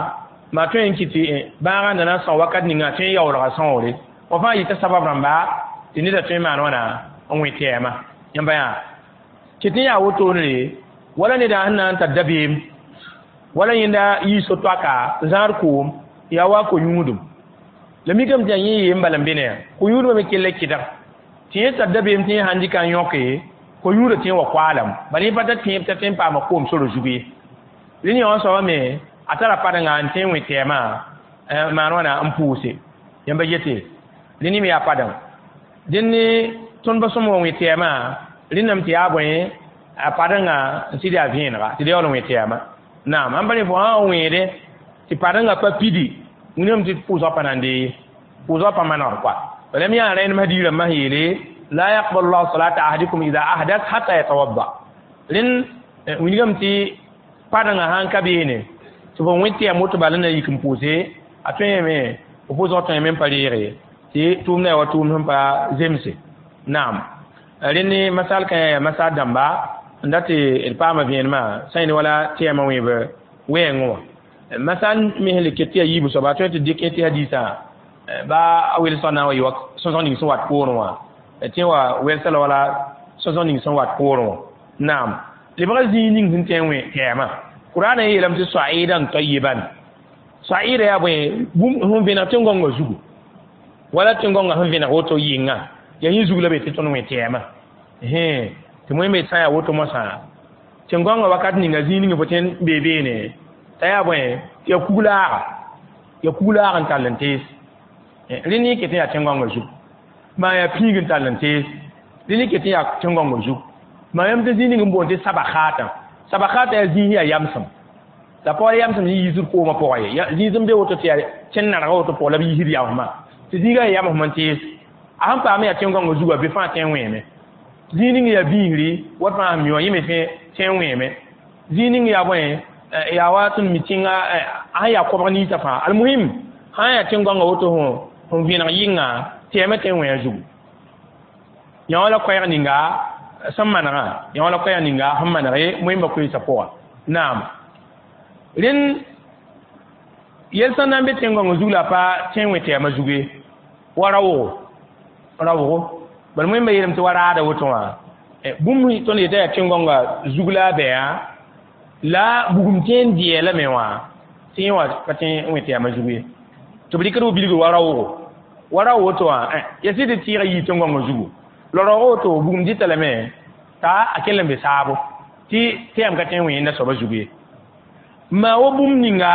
maa tõe n kɩ tɩ bãagã na na n sõa wakat ninga tõe n yaoolga sõogre Wa fãa yita sabab rãmba tɩ neda tõe n maan wãna n wẽ tɛɛma. Yãmba yaa tɩ tɩ yaa wotone wala neda sẽn na n tar dabeem wala yẽnda yii so-toaka n zãad koom yaa wa ko-yũudum la mikame tɩ yaa yẽ yeem bala n be ne yaa ko-yũudmã me kell kɩdg tɩ yẽ tar dabeem tɩ yẽ sãn dɩka n yõke ko-yũudã tɩ yẽ wa koaalame bala yẽ pa tar tẽeb t'a tõe n paama koom sora zug ye. Rẽnd yã wã soabã me a tara padengã n tõe n wẽ tɛɛmã maan wãna n pʋʋse. Yãmba yete rẽnd me yaa padeng dẽnd tõnd pa sõm wa wẽ tɛɛmã rẽndame tɩ yaa bõe a padengã n sɩd yaa vẽenega tɩ d yaool n wẽ tɛɛmã. Naam ãn pa ne fo sã n wẽede tɩ padengã pa pidi wilgame tɩ pʋʋsgã pa na n dee pʋʋsgã pa manegd koa. Bala me yaa rẽndem hadiis rãmbã sẽn yeele la yaqbalu llahu salata ahadikum ida ahdas hatta yatawadda. Rẽnd wilgame tɩ padengã sãn ka beene tɩ fo wẽ tɛɛm woto bala na yik n pʋʋse a tõe me f pʋʋsgã tõe me n pa reege tɩ tʋʋmdã yaa wa tʋʋmd sẽn pa zemse. Naam rẽnd masal kã yaa masal dãmba n dat tɩ d paama vẽenemã sã yẽnd wala tɛɛmã wẽeb wɛɛngẽ wã. Masal me sẽn le ket tɩ yaa yiib soaba tõe tɩ dɩk tɩ hadiisã ba a welsg na n wa yɩ wa sõsg ning sẽn wat poorẽ wã tɩ wa welsa la wala sõsg ning sẽn wat poorẽ wã. Naam lebga zĩig ning sẽn tõe n wẽ tɛɛmã Qur'an yeelame tɩ sa'idan tayyiban sa'ida yaa bõe bũmb sẽn vẽneg tẽn-gõngã zugu wala tẽn-gõngã sẽn vẽneg woto yɩnga yaa yẽ zug la be tɩ tõnd wẽ tɛɛmã tɩ wẽmbe sã yaa woto mosã tẽn-gõngã wakat ninga zĩig ning fo tõe n bee beene t'a yaa bõe tɩ yaa kuglaaga yaa kuglaag n tall n tees rẽnd yẽ ket n yaa tẽn-gõngã zug maa yaa pĩig n tall n tees rẽnd yẽ ket n yaa tẽn-gõngã zug maa yãmb tɩ zĩig ning n boond tɩ sabakhaatã sabakhaatã yaa zĩig yaa yamsem la pa wala yamsem yĩng yiisd koomã pʋgã ye zĩig sẽn be woto tɩ yaa tẽn narga woto pʋgã la b yiisd yamsmã tɩ zĩigã yaa yamsem n tees a sẽn paam yaa tẽn-gõngã zugã be fãa tõe n wẽeme zĩig ning yaa biisri wat fãa sẽn mi wã yẽ me tõe n wẽeme zĩig ning yaa bõe yaa wa tõnd mi tẽnga a sẽn yaa kobg ninsã fãa almuhim sã n yaa tẽn-gõngã woto sẽn vẽneg yɩnga tɛɛmã tõe n wẽ a zugu. Yã wã la koɛɛg ninga sẽn manegã yã wã la koɛɛg ninga sẽn maneg wẽmba koeesã pʋga. Naam rẽnd yɛl sẽn na n be tẽn-gõngã zug la pa tõe n wẽ tɛɛmã zug ye wa raoogo raoogo bala wẽmba yeelame tɩ wa raada woto wã bũmb tõnd yeta yaa tẽn-gõngã zug la a bɛa la bugum tõe n dɩɛ lame wã tɩ yẽ wã pa tõe n wẽ tɛɛmã zug ye tɩ b rɩkd b bilgr wa raoogo wa raoog woto wã ya sɩd tɩ tɩɩga yii tẽn-gõngã zugu la raoog woto bugum dɩta lame t'a a kell n be saabo tɩ tɛɛm ka tõe n wẽ yẽnda soabã zug ye. Maa wa bũmb ninga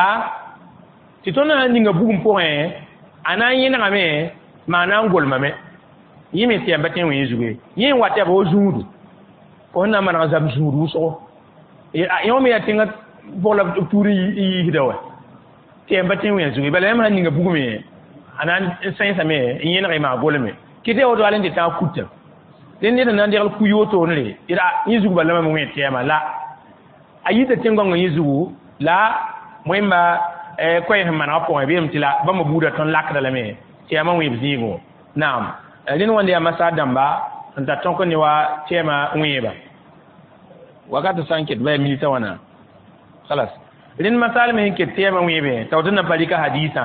tɩ tõnd sã n ninga bugum pʋgẽ a na n yẽnegame maa na n golmame yẽ me tɛɛm pa tõe n wẽ yẽ zug ye yẽ n wat yaa wa zũudu fo sẽn na n maneg zab zũud wʋsgo yẽ me yaa tẽngã pʋg la b tuur n yiisda wa tɛɛm pa tõe n wẽ a zug ye bala yãmb sãn ninga bugme a na n sẽnsame n yẽneg maa golme kɩ tɩ woto al n tɩ tãag kuta rẽnd ned na n degl ku wotone re yẽ zug bala me wẽ tɛɛmã la a yita tẽn-gõngã yẽ zugu la wẽmba koɛɛ sẽn manegã pʋgẽ bɩ tɩ la bãmba buudã tõnd lakda lame tɩ yaa wẽeb zĩigẽ. Naam rẽnd wãnde yaa masaar dãmba n tar tõk ne wa tɛɛmã wẽeba wakat sã n ket ba yaa minita wãna khalas rẽnd masaal me sẽn ket tɛɛmã wẽebe t'a woto na pa rɩka hadiisã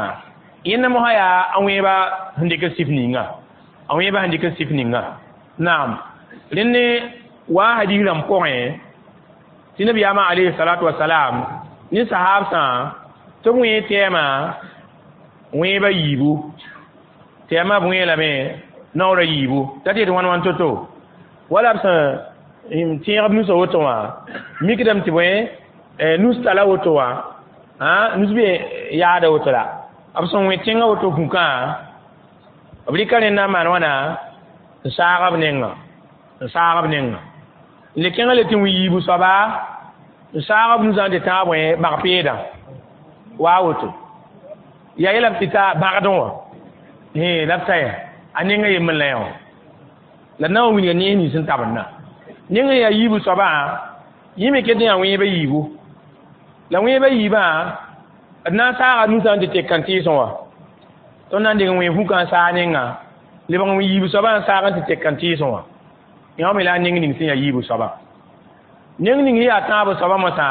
yẽnda mosã yaa a wẽeba sẽn dɩk sɩf ninga a wẽeba sẽn dɩk sɩf ninga. Naam rẽnd wa hadiis rãmb pʋgẽ tɩ nabiyaamã alayhi salatu wasalam ne sahaabsã tɩ b wẽ tɛɛmã wẽeba yiibu tɛɛmã b wẽ lame naoora yiibu t'a tɩ yetɩ wãn wãn to-to wala b sẽn tẽeg b nusã woto wã mikdame tɩ bõe nus tala woto wã nus be yaada woto la b sẽn wẽ tẽngã woto vũkã b rɩka rẽnd na n maan wãna n saag b nengã n saag b nengã n le kẽngã le tɩ wẽ yiibu soaba n saag b nusã n tɩ tãag bõe bag peedã waa woto yaa yeelame tɩ ta bãgdẽ wã la b ta ya a nengã yembr la yã wã la na n wilga nees nins sẽn tabendã neng n yaa yiibu soabã yẽ me ket n yaa wẽeba yiibu la wẽeba yiibã d na n saaga nusã n tɩ tek kãn-tɩɩsẽ wã tõnd na n deng wẽ vũkã n saag nenga lebg n yiibu soabã n saag n tɩ tek kãn-tɩɩsẽ wã yã me la a neng ning sẽn yaa yiibu soabã neng ning yaa tãab soabã mosã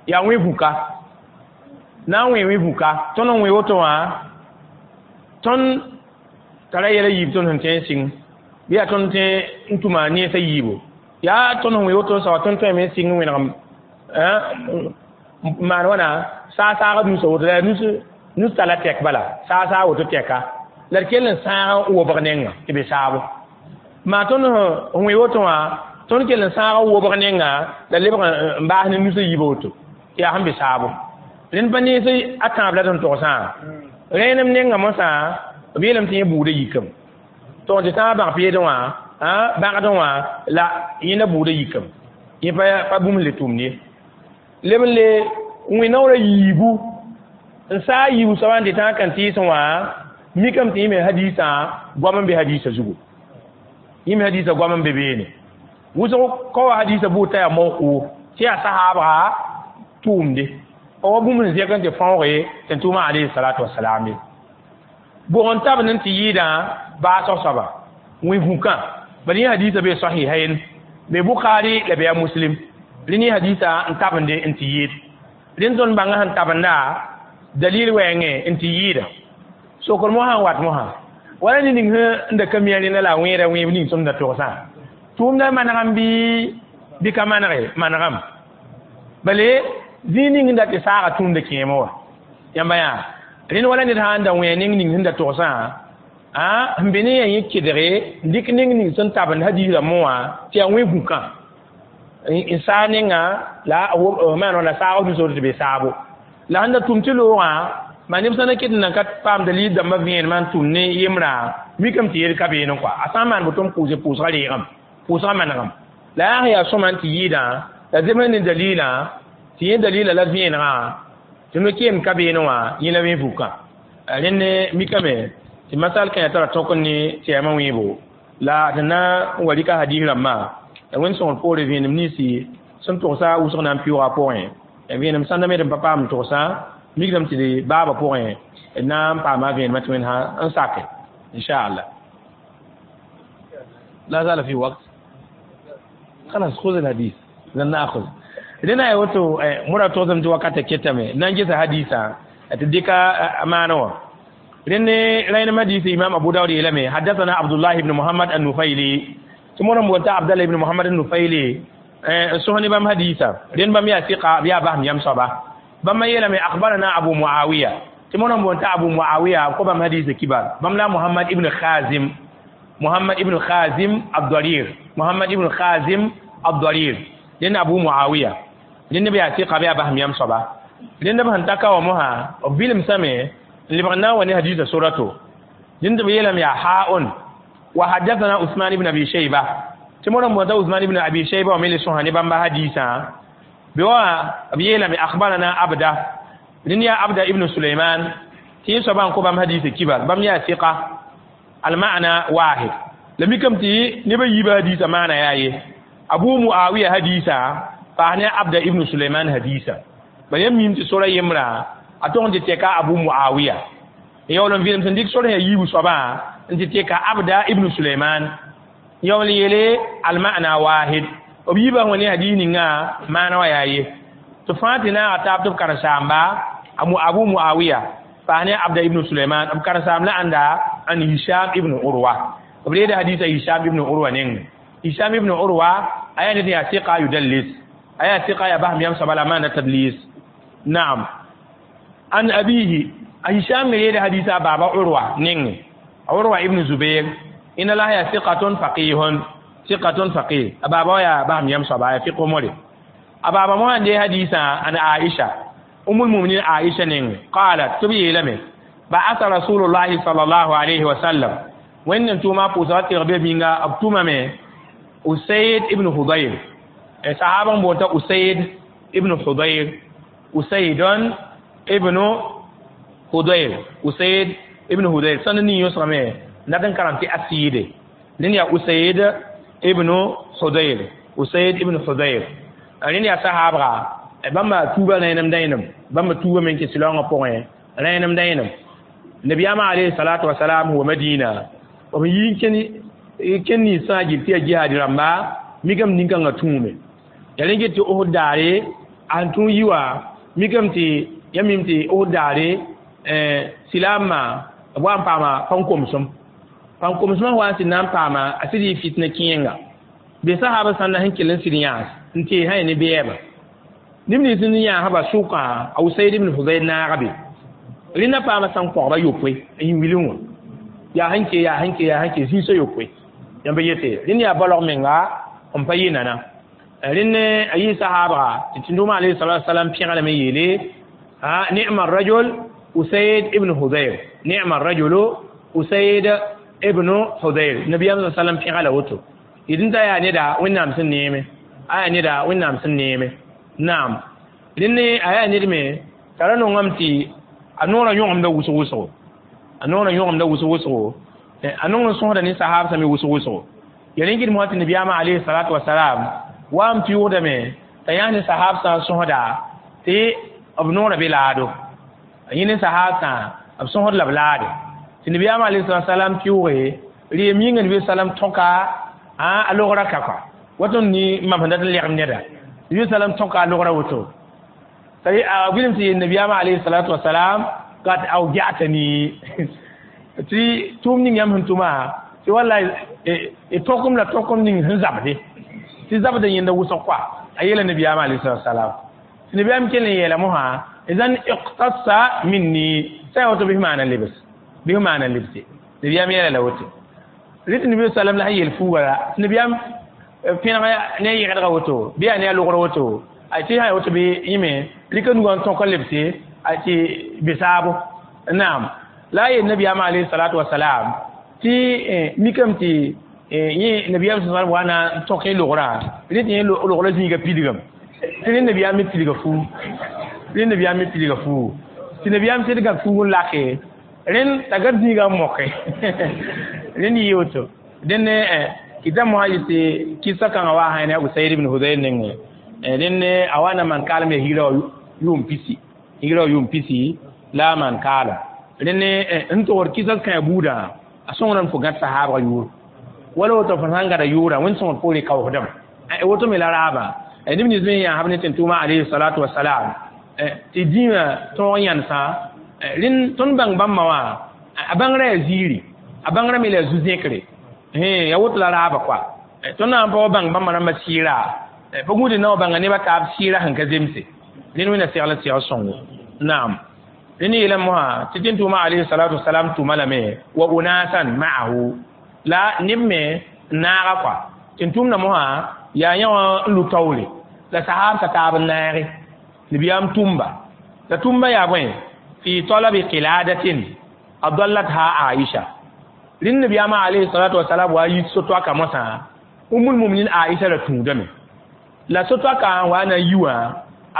yaa wẽ vũka na n wẽ wẽ vũka tõnd n wẽ woto wã tõnd T'a ra yɛla yiib tõnd sẽn tẽ n sɩng bɩ yaa tõnd tẽ n tʋma nensã yiibo yaa tõnd sẽn wẽ woto soaba tõnd tõeme n sɩng n wẽnegem n maan wãna saag-saaga nusa woto la yaa nus talla tɛk bala saag-saag woto tɛka la d kell n sãag n wobg nenga tɩ be saabo maa tõnd sẽn wẽ woto wã tõnd kell n sãag n wobg nenga la lebg n baas ne nusã yiibã woto tɩ yaa sẽn be saabo rẽnd pa nens a tãab la d sẽn togsã rẽenem nenga mosã b yeelame tɩ yẽ buudã yikame tɩ tɩ tãag bãg-peedẽ wã bãgdẽ wã la yẽnda buudã yikame yẽ pa bũmb le tʋmd ye leb n le wẽ naoorã yiibu n saa yiibu soabã n tɩ tãag kãn-tɩɩsẽ wã mikame tɩ yẽ me hadiisã goam n be hadiisã zugu yẽ me hadiisã goam n be beene wʋsg ka wa hadiisã bʋʋd t'a yaa mawquf tɩ yaa sahaabga tʋʋmde pa wa bũmb sẽn zẽk n tɩ fãooge tɩ n tʋʋma alayhi salatu wasalam ye bʋg n tabend n tɩ yɩɩdã baasg soaba wẽ vũkã bala yẽ hadiisã bee sahihain be Bukhari la be a Muslim rẽnd yẽ hadiisã n tabende n tɩ yɩɩd rẽnd tõnd bãngã sẽn tabenda dalil wɛɛngẽ n tɩ yɩɩda sokr mosã n wat mosã wala ne ning sẽn da ka mi a rẽnda la a wẽeda wẽeb ning tõnd da togsã tʋʋmdã manegame bɩ ka manege manegame bale zĩig ning sẽn dat tɩ saaga tũumda kẽemẽ wã yãmba yaa rẽnd wala ned sã n da wẽ neng ning sẽn da togsã sẽn be ne yaa yẽ kedge n dɩk neng ning sẽn tabend hadiis rãmbẽ wã tɩ yaa wẽ vũkã n saa nenga la maan wã la saag nusr tɩ be saabo la sẽn da tʋm tɩ loogã maa neb sã na ket n nan ka paam dalil dãmbã vẽenemã n tʋm ne yembrã mikame tɩ yel ka beene kɔa a sã n maan boto n pʋʋse pʋʋsgã reegame pʋʋsgã manegame la yaa sẽn yaa sõma n tɩ yɩɩdã la zems ne dalilã tɩ yẽ dalila la vẽenegã tɩ no-keem ka beene wã yẽ la wẽ vukã rẽnd mikame tɩ masal kãyã tara tõk n ne tɛɛmã wẽebo la tɩ na n wa rɩka hadiis rãmbã la wẽnd sõngr poore vẽenem ninsi sẽn togsa wʋsg na n pɩʋʋga pʋgẽ vẽenem sãnda me d n pa paam togsa mikdame tɩ d baabã pʋgẽ d na n paama vẽenemã tɩ wẽnd sã n sake inchallah. لا زال في وقت، خلاص خذ الحديث لن ناخذ لنا يوتو مرة توزم تو وقت كتمه نانجي حديثا تديك أمانة لأن لأن حديث إمام أبو داود يلمي حدثنا عبد الله بن محمد النفيلي ثم رموت عبد الله بن محمد النفيلي سهني بام حديثا لأن بام يثق بيا بام يم صبا بام يلمي أخبرنا أبو معاوية ثم رموت أبو معاوية كبام حديث كبار بام لا محمد ابن خازم محمد ابن خازم الضرير محمد ابن خازم الضرير لأن أبو معاوية لأن بيعتيق بيا بهم يم صبا لأن بهم تكا ومها وبيلم سمي اللي بغنا وني حديث سورته لأن بيلم يا حاء وحدثنا عثمان بن أبي شيبة تمر موتا عثمان بن أبي شيبة وميل سوهاني بامبا حديثا بوا بيلم أخبرنا عبده لأن يا عبده ابن سليمان تي صبا كوبام حديث كبار بام يا ثقة المعنى واحد لم يكن تي نبي يبا حديث معنى يا أبو معاوية حديثا فأنا عبد ابن سليمان حديثا بل يمين سورة يمرا أتون تيكا أبو معاوية يقولون فيلم سنديك سورة يبو صبا أنت تيكا عبد ابن سليمان يقول يلي المعنى واحد وبيبا هوني حديثنا معنى وياي تفاتنا أتاب تبكر سامبا أبو معاوية فأنا عبد ابن سليمان أبكر سام لا عند عن هشام ابن عروة وبريد حديث هشام ابن عروة نين هشام ابن عروة أيا نتي ثقة يدلس أيا ثقة يا بهم يمسى بلا ما تدليس نعم عن أبيه هشام يريد حديث بابا عروة نين عروة ابن زبير إن الله يا ثقة فقيه ثقة فقيه بابا يا بهم يمسى بلا فقه مولي أبابا ما عندي حديث عن عائشة أم المؤمنين عائشة نين قالت تبي لمن بعث رسول الله صلى الله عليه وسلم وإن أنتم ما بوزات ربي بينا أبتوما من أسيد ابن حضير صحابة بوتا أسيد ابن حضير أسيد ابن حضير أسيد ابن حضير سنني يسرمي ندن كرامتي أسيد لين يا أسيد ابن حضير أسيد ابن حضير لين يا صحابة bãmba tuuba rẽenem dãenem bãmba tuuba men kɩ silaoongã pʋgẽ rẽenem dãenem nabiyaamã alayhi salatu wasalam wa Madina b yi n kẽn ninsã gil tɩ yaa jihaad rãmba mikame nin-kãngã tũume yaa rẽ get tɩ Osd daare a sẽn tũ yi wã mikame tɩ yã mim tɩ Osd daare silaamã b wa n paama pãn-komsem pãn komsmã wa n tɩ na n paama a sɩd yɩ fitna kẽenga be sahaba sãnda sẽn kell n sɩd yãas n tee sã ya ne bɛɛba neb nins n yãasba sʋkã a Usayd ibn Hudayr naaga be rẽnda paama sãn kogba yopoe n yĩ wilẽ wã yaa sẽn ke yaa sẽn ke yaa sẽn ke zĩisã yopoe yãmb yete rẽnd yaa balg menga n pa yɩ nana rẽnd a yɩ sahaabga tɩ tĩndʋʋmã alayhi salatu wasalam pẽglame yeele ni'ma rajul Usayd ibn Hudayr ni'ma rajulu Usayd ibn Hudayr nabiyam sallam pẽga la woto d t'a yaa neda wẽnnaam sẽn neeme a yaa neda wẽnnaam sẽn neeme naam rẽnd a yaa ned me t'a ra nongame tɩ a noorã yõgemda wʋsg wʋsgo a noorã yõgemda wʋsg wʋsgo a nong n sõsda ne sahaab sã me wʋsg wʋsgo ya rẽ gɩdem wã tɩ nabiyaamã alayhi salatu wasalam wa n pɩʋʋdame t'a yãs ne sahaab sã n sõsda tɩ b noorã be laado a yẽ ne sahaab sã b sõsd la b laade tɩ nabiyaamã alayhi salatu wasalam pɩʋʋge reem yĩnga nabi salam tõka a logrã ka kɔa woto ni mam sẽn dat n legem neda nabi salam tõka a logrã woto a wilem tɩ yel nabiyaamã alayhi salatu wasalam kad awja'tani tɩ tʋʋm ning yãmb sẽn tʋma tɩ wallahi tõkem la tõkem ning sẽn zabde tɩ zabda yẽnda wʋsg kɔa a yeela nabiyaamã alayhi salatu wasalam tɩ nabiyaam kell n yeela mosã idan iqtassa minni sã ya woto bɩ maana lebs bɩ maana lebse nabiyaam yeela la woto rɩt nabi sallam la sẽn yel fuuga la tɩ nabiyaam pẽneg ne a yẽgdga woto bɩ yaa ne a logr woto tɩ sã ya woto bɩ yẽme rɩka nugã n tõk n lebse tɩ be saabo naam la a yel nabiyaamã alayhi salatu wasalam tɩ mikame tɩ yẽ nabiyaam sã wa na n tõk yẽ logrã rẽ tɩ yẽ logrã zĩiga pilgame tɩ rẽ nabiyaam me pilga fuug rẽ nabiyaam me pilga fuugu tɩ nabiyaam sɩdga fuug n lake rẽnd t'a gad zĩiga n moke rẽnd yɩ woto dẽnd kɩta mosã yɩ tɩ kɩsa kãngã wa sã ne a Usayd ibn Hudayr nengẽ rẽnd a wa na maan kaalem yaa higra wã yʋʋm pisi higra wã yʋʋm pisi la a maan kaalem rẽnd n togd kɩsa kãe buudã a sõngdame fo gãd sahaabga yʋʋr wala woto fo sãn gada yʋʋrã wẽnd sõngd poore kaoosdame woto me la raabã neb nins me yãasb ne tẽn-tʋʋmã alayhi salatu wasalam tɩ dĩimã tõog yãnesã rẽnd tõnd bãng bãmba wã a bãngrã yaa ziiri a bãngrã me la yaa zu-zẽkre ya woto la raaba kɔa tõnd na n pa wa bãng bãmba rãmbã sɩɩra pa gũud na wa bãnga nebã taab sɩɩra sẽn ka zemse rẽnd wẽnna segl segl sõngo naam rẽnd yeelame mosã tɩ tẽn-tʋʋmã alayhi salatu wasalam tʋma lame wa unasan ma'ahu la neb me n naaga kɔa tẽn-tʋʋmdã mosã yaa yã wã n lu taoore la sahaab sa taab n naage nabiyaam tʋmba la tʋmba yaa bõe fi talabi qiladatin adallatha Aisha rẽnd nabiyaamã alayhi salatu wasalam wa yit so-toaka mosã umul muminin Aisha la tũudame la so-toaka n wa na n yi wã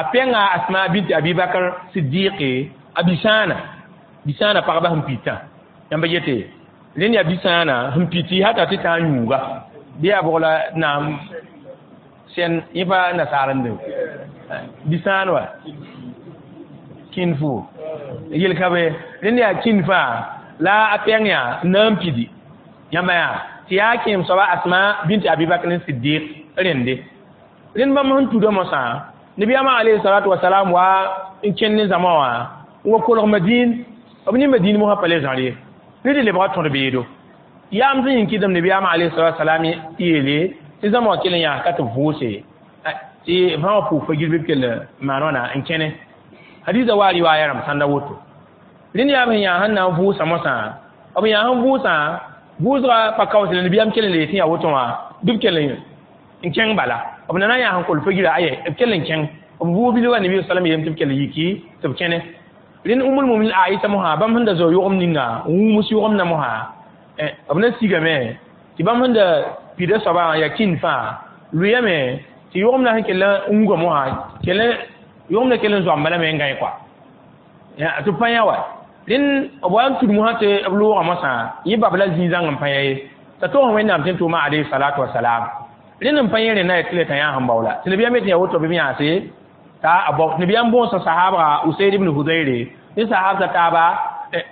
a pẽnga Asma binti Abi Bakr Siddiqe a bisaana bisaana pagba sẽn pitã yãmb yete rẽnd yaa bisaana sẽn piti hata tɩ tã n yũuga bɩ yaa bʋg la naam sẽn yẽ pa nasaar n de bisãan wa kĩn-fu yel ka be rẽnd yaa kĩn fãa la a pẽng yaa n na n pidi yãmba yaa tɩ yaa kẽem soaba Asma binti Abi Bakr Siddiq rẽnde rẽnd bãmb sẽn tuda mosã nabiyaamã alayhi salatu wasalam wa n kẽnd ne zãma wã n wa kolg Madin b ne Madin mosã pa le zãr ye ne tɩ lebga tõd beedo yaam sẽn yĩn kɩdem nabiyaamã alayhi salatu wasalam yeele tɩ zãma wã kell n yãas ka tɩ vʋʋse tɩ fãa wã pʋʋg fa-gir bɩ b kell maan wãna n kẽne hadiisa wa riwaaya rãmb sãnda woto rẽnd yaa sẽn yaa sẽn na n vʋʋsa mosã b yaa sẽn vʋʋsã vʋʋsga pa kaoosle nabiyaam kell n le tɩ yaa woto wã bɩ b kell n kẽng bala b na na n yaa sẽn kol fa-gira aye b kell n kẽng b vʋʋg bilga nabi salam yeelame tɩ b kell yiki tɩ b kẽne rẽnd umul muminin Aisha mosã bãmb sẽn da zao yʋgem ninga n wũms yʋgemdã mosã b na sigame tɩ bãmb sẽn da pida soabã yaa kĩnd fãa lʋyame tɩ yʋgemdã sẽn kell n wuga mosã kell yʋgemdã kell n zoamba lame n gãe kɔa tɩ pa yã wa rẽnd b wa n tud mosã tɩ b loogã mosã yẽ bab la zĩig-zãng n pa yã ye t'a togs wẽnnaam tẽn tʋʋmã alayhi salatu wasalam rẽnd n pa yẽ rẽnda yaa tɩ le t'a yã sẽn baoola tɩ nabiyaam yetɩ yaa woto bɩ b yãase t'a a bao nabiyaam bõosa sahaabga Usayd ibn Hudayre ne sahaab t'a taaba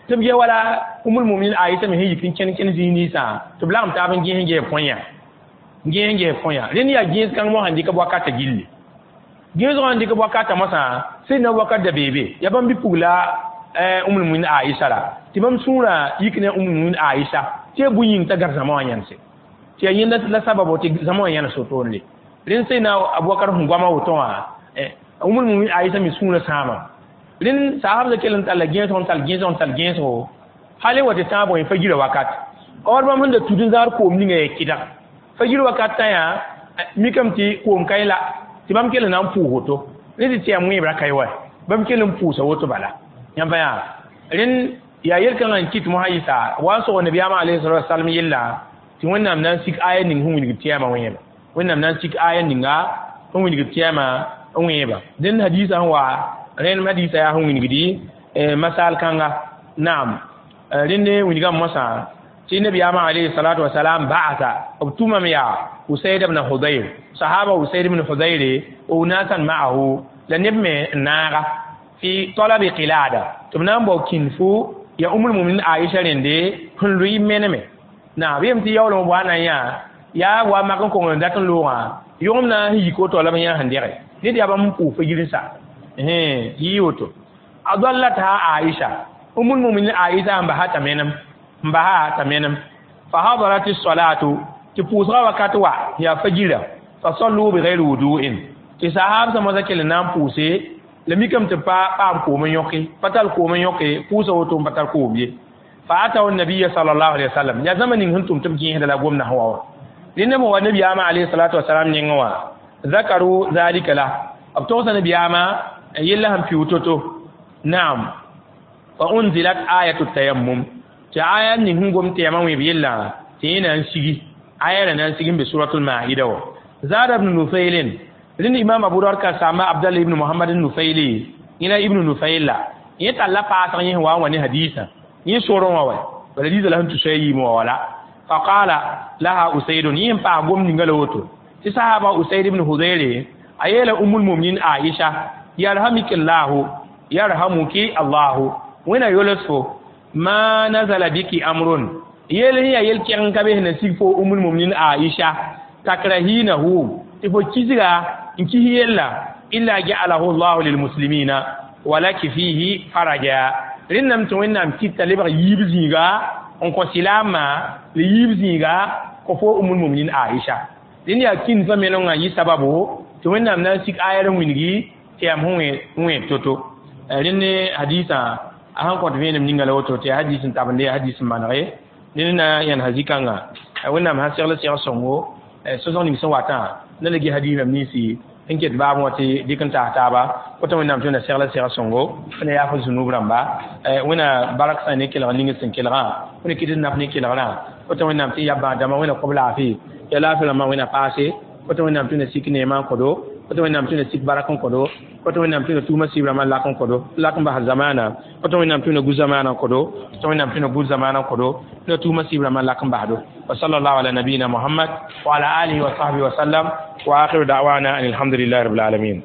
tɩ b ge wala umul muminin Aisha me sẽn yik n kẽn kẽn zĩig ninsã tɩ b lagem taab n gẽes n ges põyã gẽes n ges põyã rẽnd yaa gẽes kãng mosã n dɩk b wakata gilli gẽesgã n dɩk b wakata mosã sẽn na wakat da beebe yaa bãmb bi-pugla umul muminin Aisha la tɩ bãmb sũurã yik ne umul muminin Aisha tɩ Tɩ bũy yĩng t'a gãd zãma wã yãnse tɩ yaa yẽnda la sababo tɩ zãma wã yãnes wotone rẽnd sẽna Abubakar sẽn goama woto wã Umul Mumin Aisha me sũurã sãama rẽnd sahabã kell n talla gẽesg n tall gẽesg n tall gẽesgo hal wa tɩ tãab wã fajira wakat or bãmb sẽn da tud n zãad koom ninga yaa kɩdg fajir wakat tã yaa mikame tɩ koom ka la tɩ bãmb kell n na n pʋʋs woto rẽ tɩ yaa wẽebra ka ye wa bãmb kell n pʋʋsa woto bala yãmb yaa rẽnd yaa yel-kãngã n kɩt mosã yɩsa wa n sog nabiyaamã alayhi salatu wasalam yella tɩ Wẽnnaam na n sik aya ning sẽn wilgd tɩyɛɛmã wẽeba Wẽnnaam na n sik aya ninga sẽn wilgd tɩyɛɛmã n wẽeba dẽnd hadiisã sẽn wa rẽnd hadiisã yaa sẽn wilgdi masal kãnga naam rẽnd wilgame mosã tɩ nabiyaamã alayhi salatu wasalam ba'asa b tʋmame yaa Usayd ibn Hudayr sahaba Usayd ibn Hudayr unasan ma'ahu la neb me n naaga fi talabi qilada tɩ b na n bao kĩnfu ya Umul Muminin Aisha rẽnde sẽn lʋɩ meneme na b yem tɩ yaoolem b wa na n yã yaa wa mak n kong n dat n loogã yʋgem na n yik woto la b yã sẽn dɛge ned yaa bãmb n pʋʋs fo yir-sa yɩ woto adallatha Aisha Umul Muminin Aisha n basa t'a menem n basa t'a menem fa hadarat as-salatu tɩ pʋʋsgã wakat wa yaa fajira fa sallu bighayri wudu'in tɩ sahab sã moasã kell n na n pʋʋse la mikame tɩ pa paam koom n yõke pa tall koom n yõke pʋʋsa woto n pa tar koom ye fa ataw nabiya sallallahu alaihi wasallam ya zama ning sẽn tʋm tɩ b gẽesda la gomda sẽn wa wã rẽnd b wa nabiyaamã alayhi salatu wasalam nengẽ wã zakaru zalika la b togsa nabiyaamã yella sẽn pɩʋ to-to naam fa unzilat ayatu tayammum tɩ aya ning sẽn gom tɩ yamã wẽeb yella tɩ yẽ na n sigi aya ra na n sig n be suratul maida wã zada ibn nufailin rẽnd imam Abu Dawud ka samba Abdallah ibn Muhammad Nufaili yẽna ibn Nufail la yẽ talla paasg yẽ wa n wa ne hadiisã yẽ sorẽ wã wa bala hadiisã la sẽn tʋ soa yiim wã wala fa qala laha Usaidun yẽ n paas gom ninga la woto tɩ sahaba Usaid ibn Hudayre a yeela Umul Muminin Aisha yarhamiki llahu yarhamuki Allahu wẽna yols fo ma nazala biki amrun yel sẽn yaa yel-kɛg n ka be sẽn na sig fo Umul Muminin Aisha takrahinahu tɩ fo kisga n kis yella illa ja'alahu Allahu lilmuslimina walaki fihi faraja rẽnname tɩ Wẽnnaam kɩta lebg yiib zĩiga n kõ silaamã la yiib zĩiga kõ fo Umul Muminin Aisha rẽnd yaa kĩndfã menengã yɩ sababo tɩ Wẽnnaam na n sik aya n wilgi tɩ yam sẽn wẽeb to-to rẽnd hadiisã a sẽn kõt vẽenem ninga la woto tɩ yaa hadiis n tabende yaa hadiis n manege ned na yãn hazikãnga Wẽnnaam sã segl segl sõngo sosg ning sẽn watã na la ges hadiisã ninsi n ket baab wã tɩ dɩk n taas taaba woto Wẽnnaam tɩ na segl segl sõngo wẽna yaaf zunub rãmba wẽna bark sã ne kelg ning sẽn kelgã wẽna kɩt n naf ne kelgrã woto Wẽnnaam tɩ ya bãad dãmbã wẽna kob laafɩ ya laafɩ rãmbã wẽna paase woto Wẽnnaam tɩ na sik neemã n kõdo woto Wẽnnaam tɩ na sik barak n kõdo woto Wẽnnaam tɩ na tʋʋma sib rãmbã lak n kõdo lak n bas zamaana woto Wẽnnaam tɩ na gu zamaana n kõdo woto Wẽnnaam tɩ na gu zamaana n kõdo na tʋʋma sib rãmbã lak n basdo wa sallallahu ala nabiyina Muhammad wa ala alihi wa sahbihi wa sallam wa akhiru da'wana an alhamdulillahi rabbil alamin.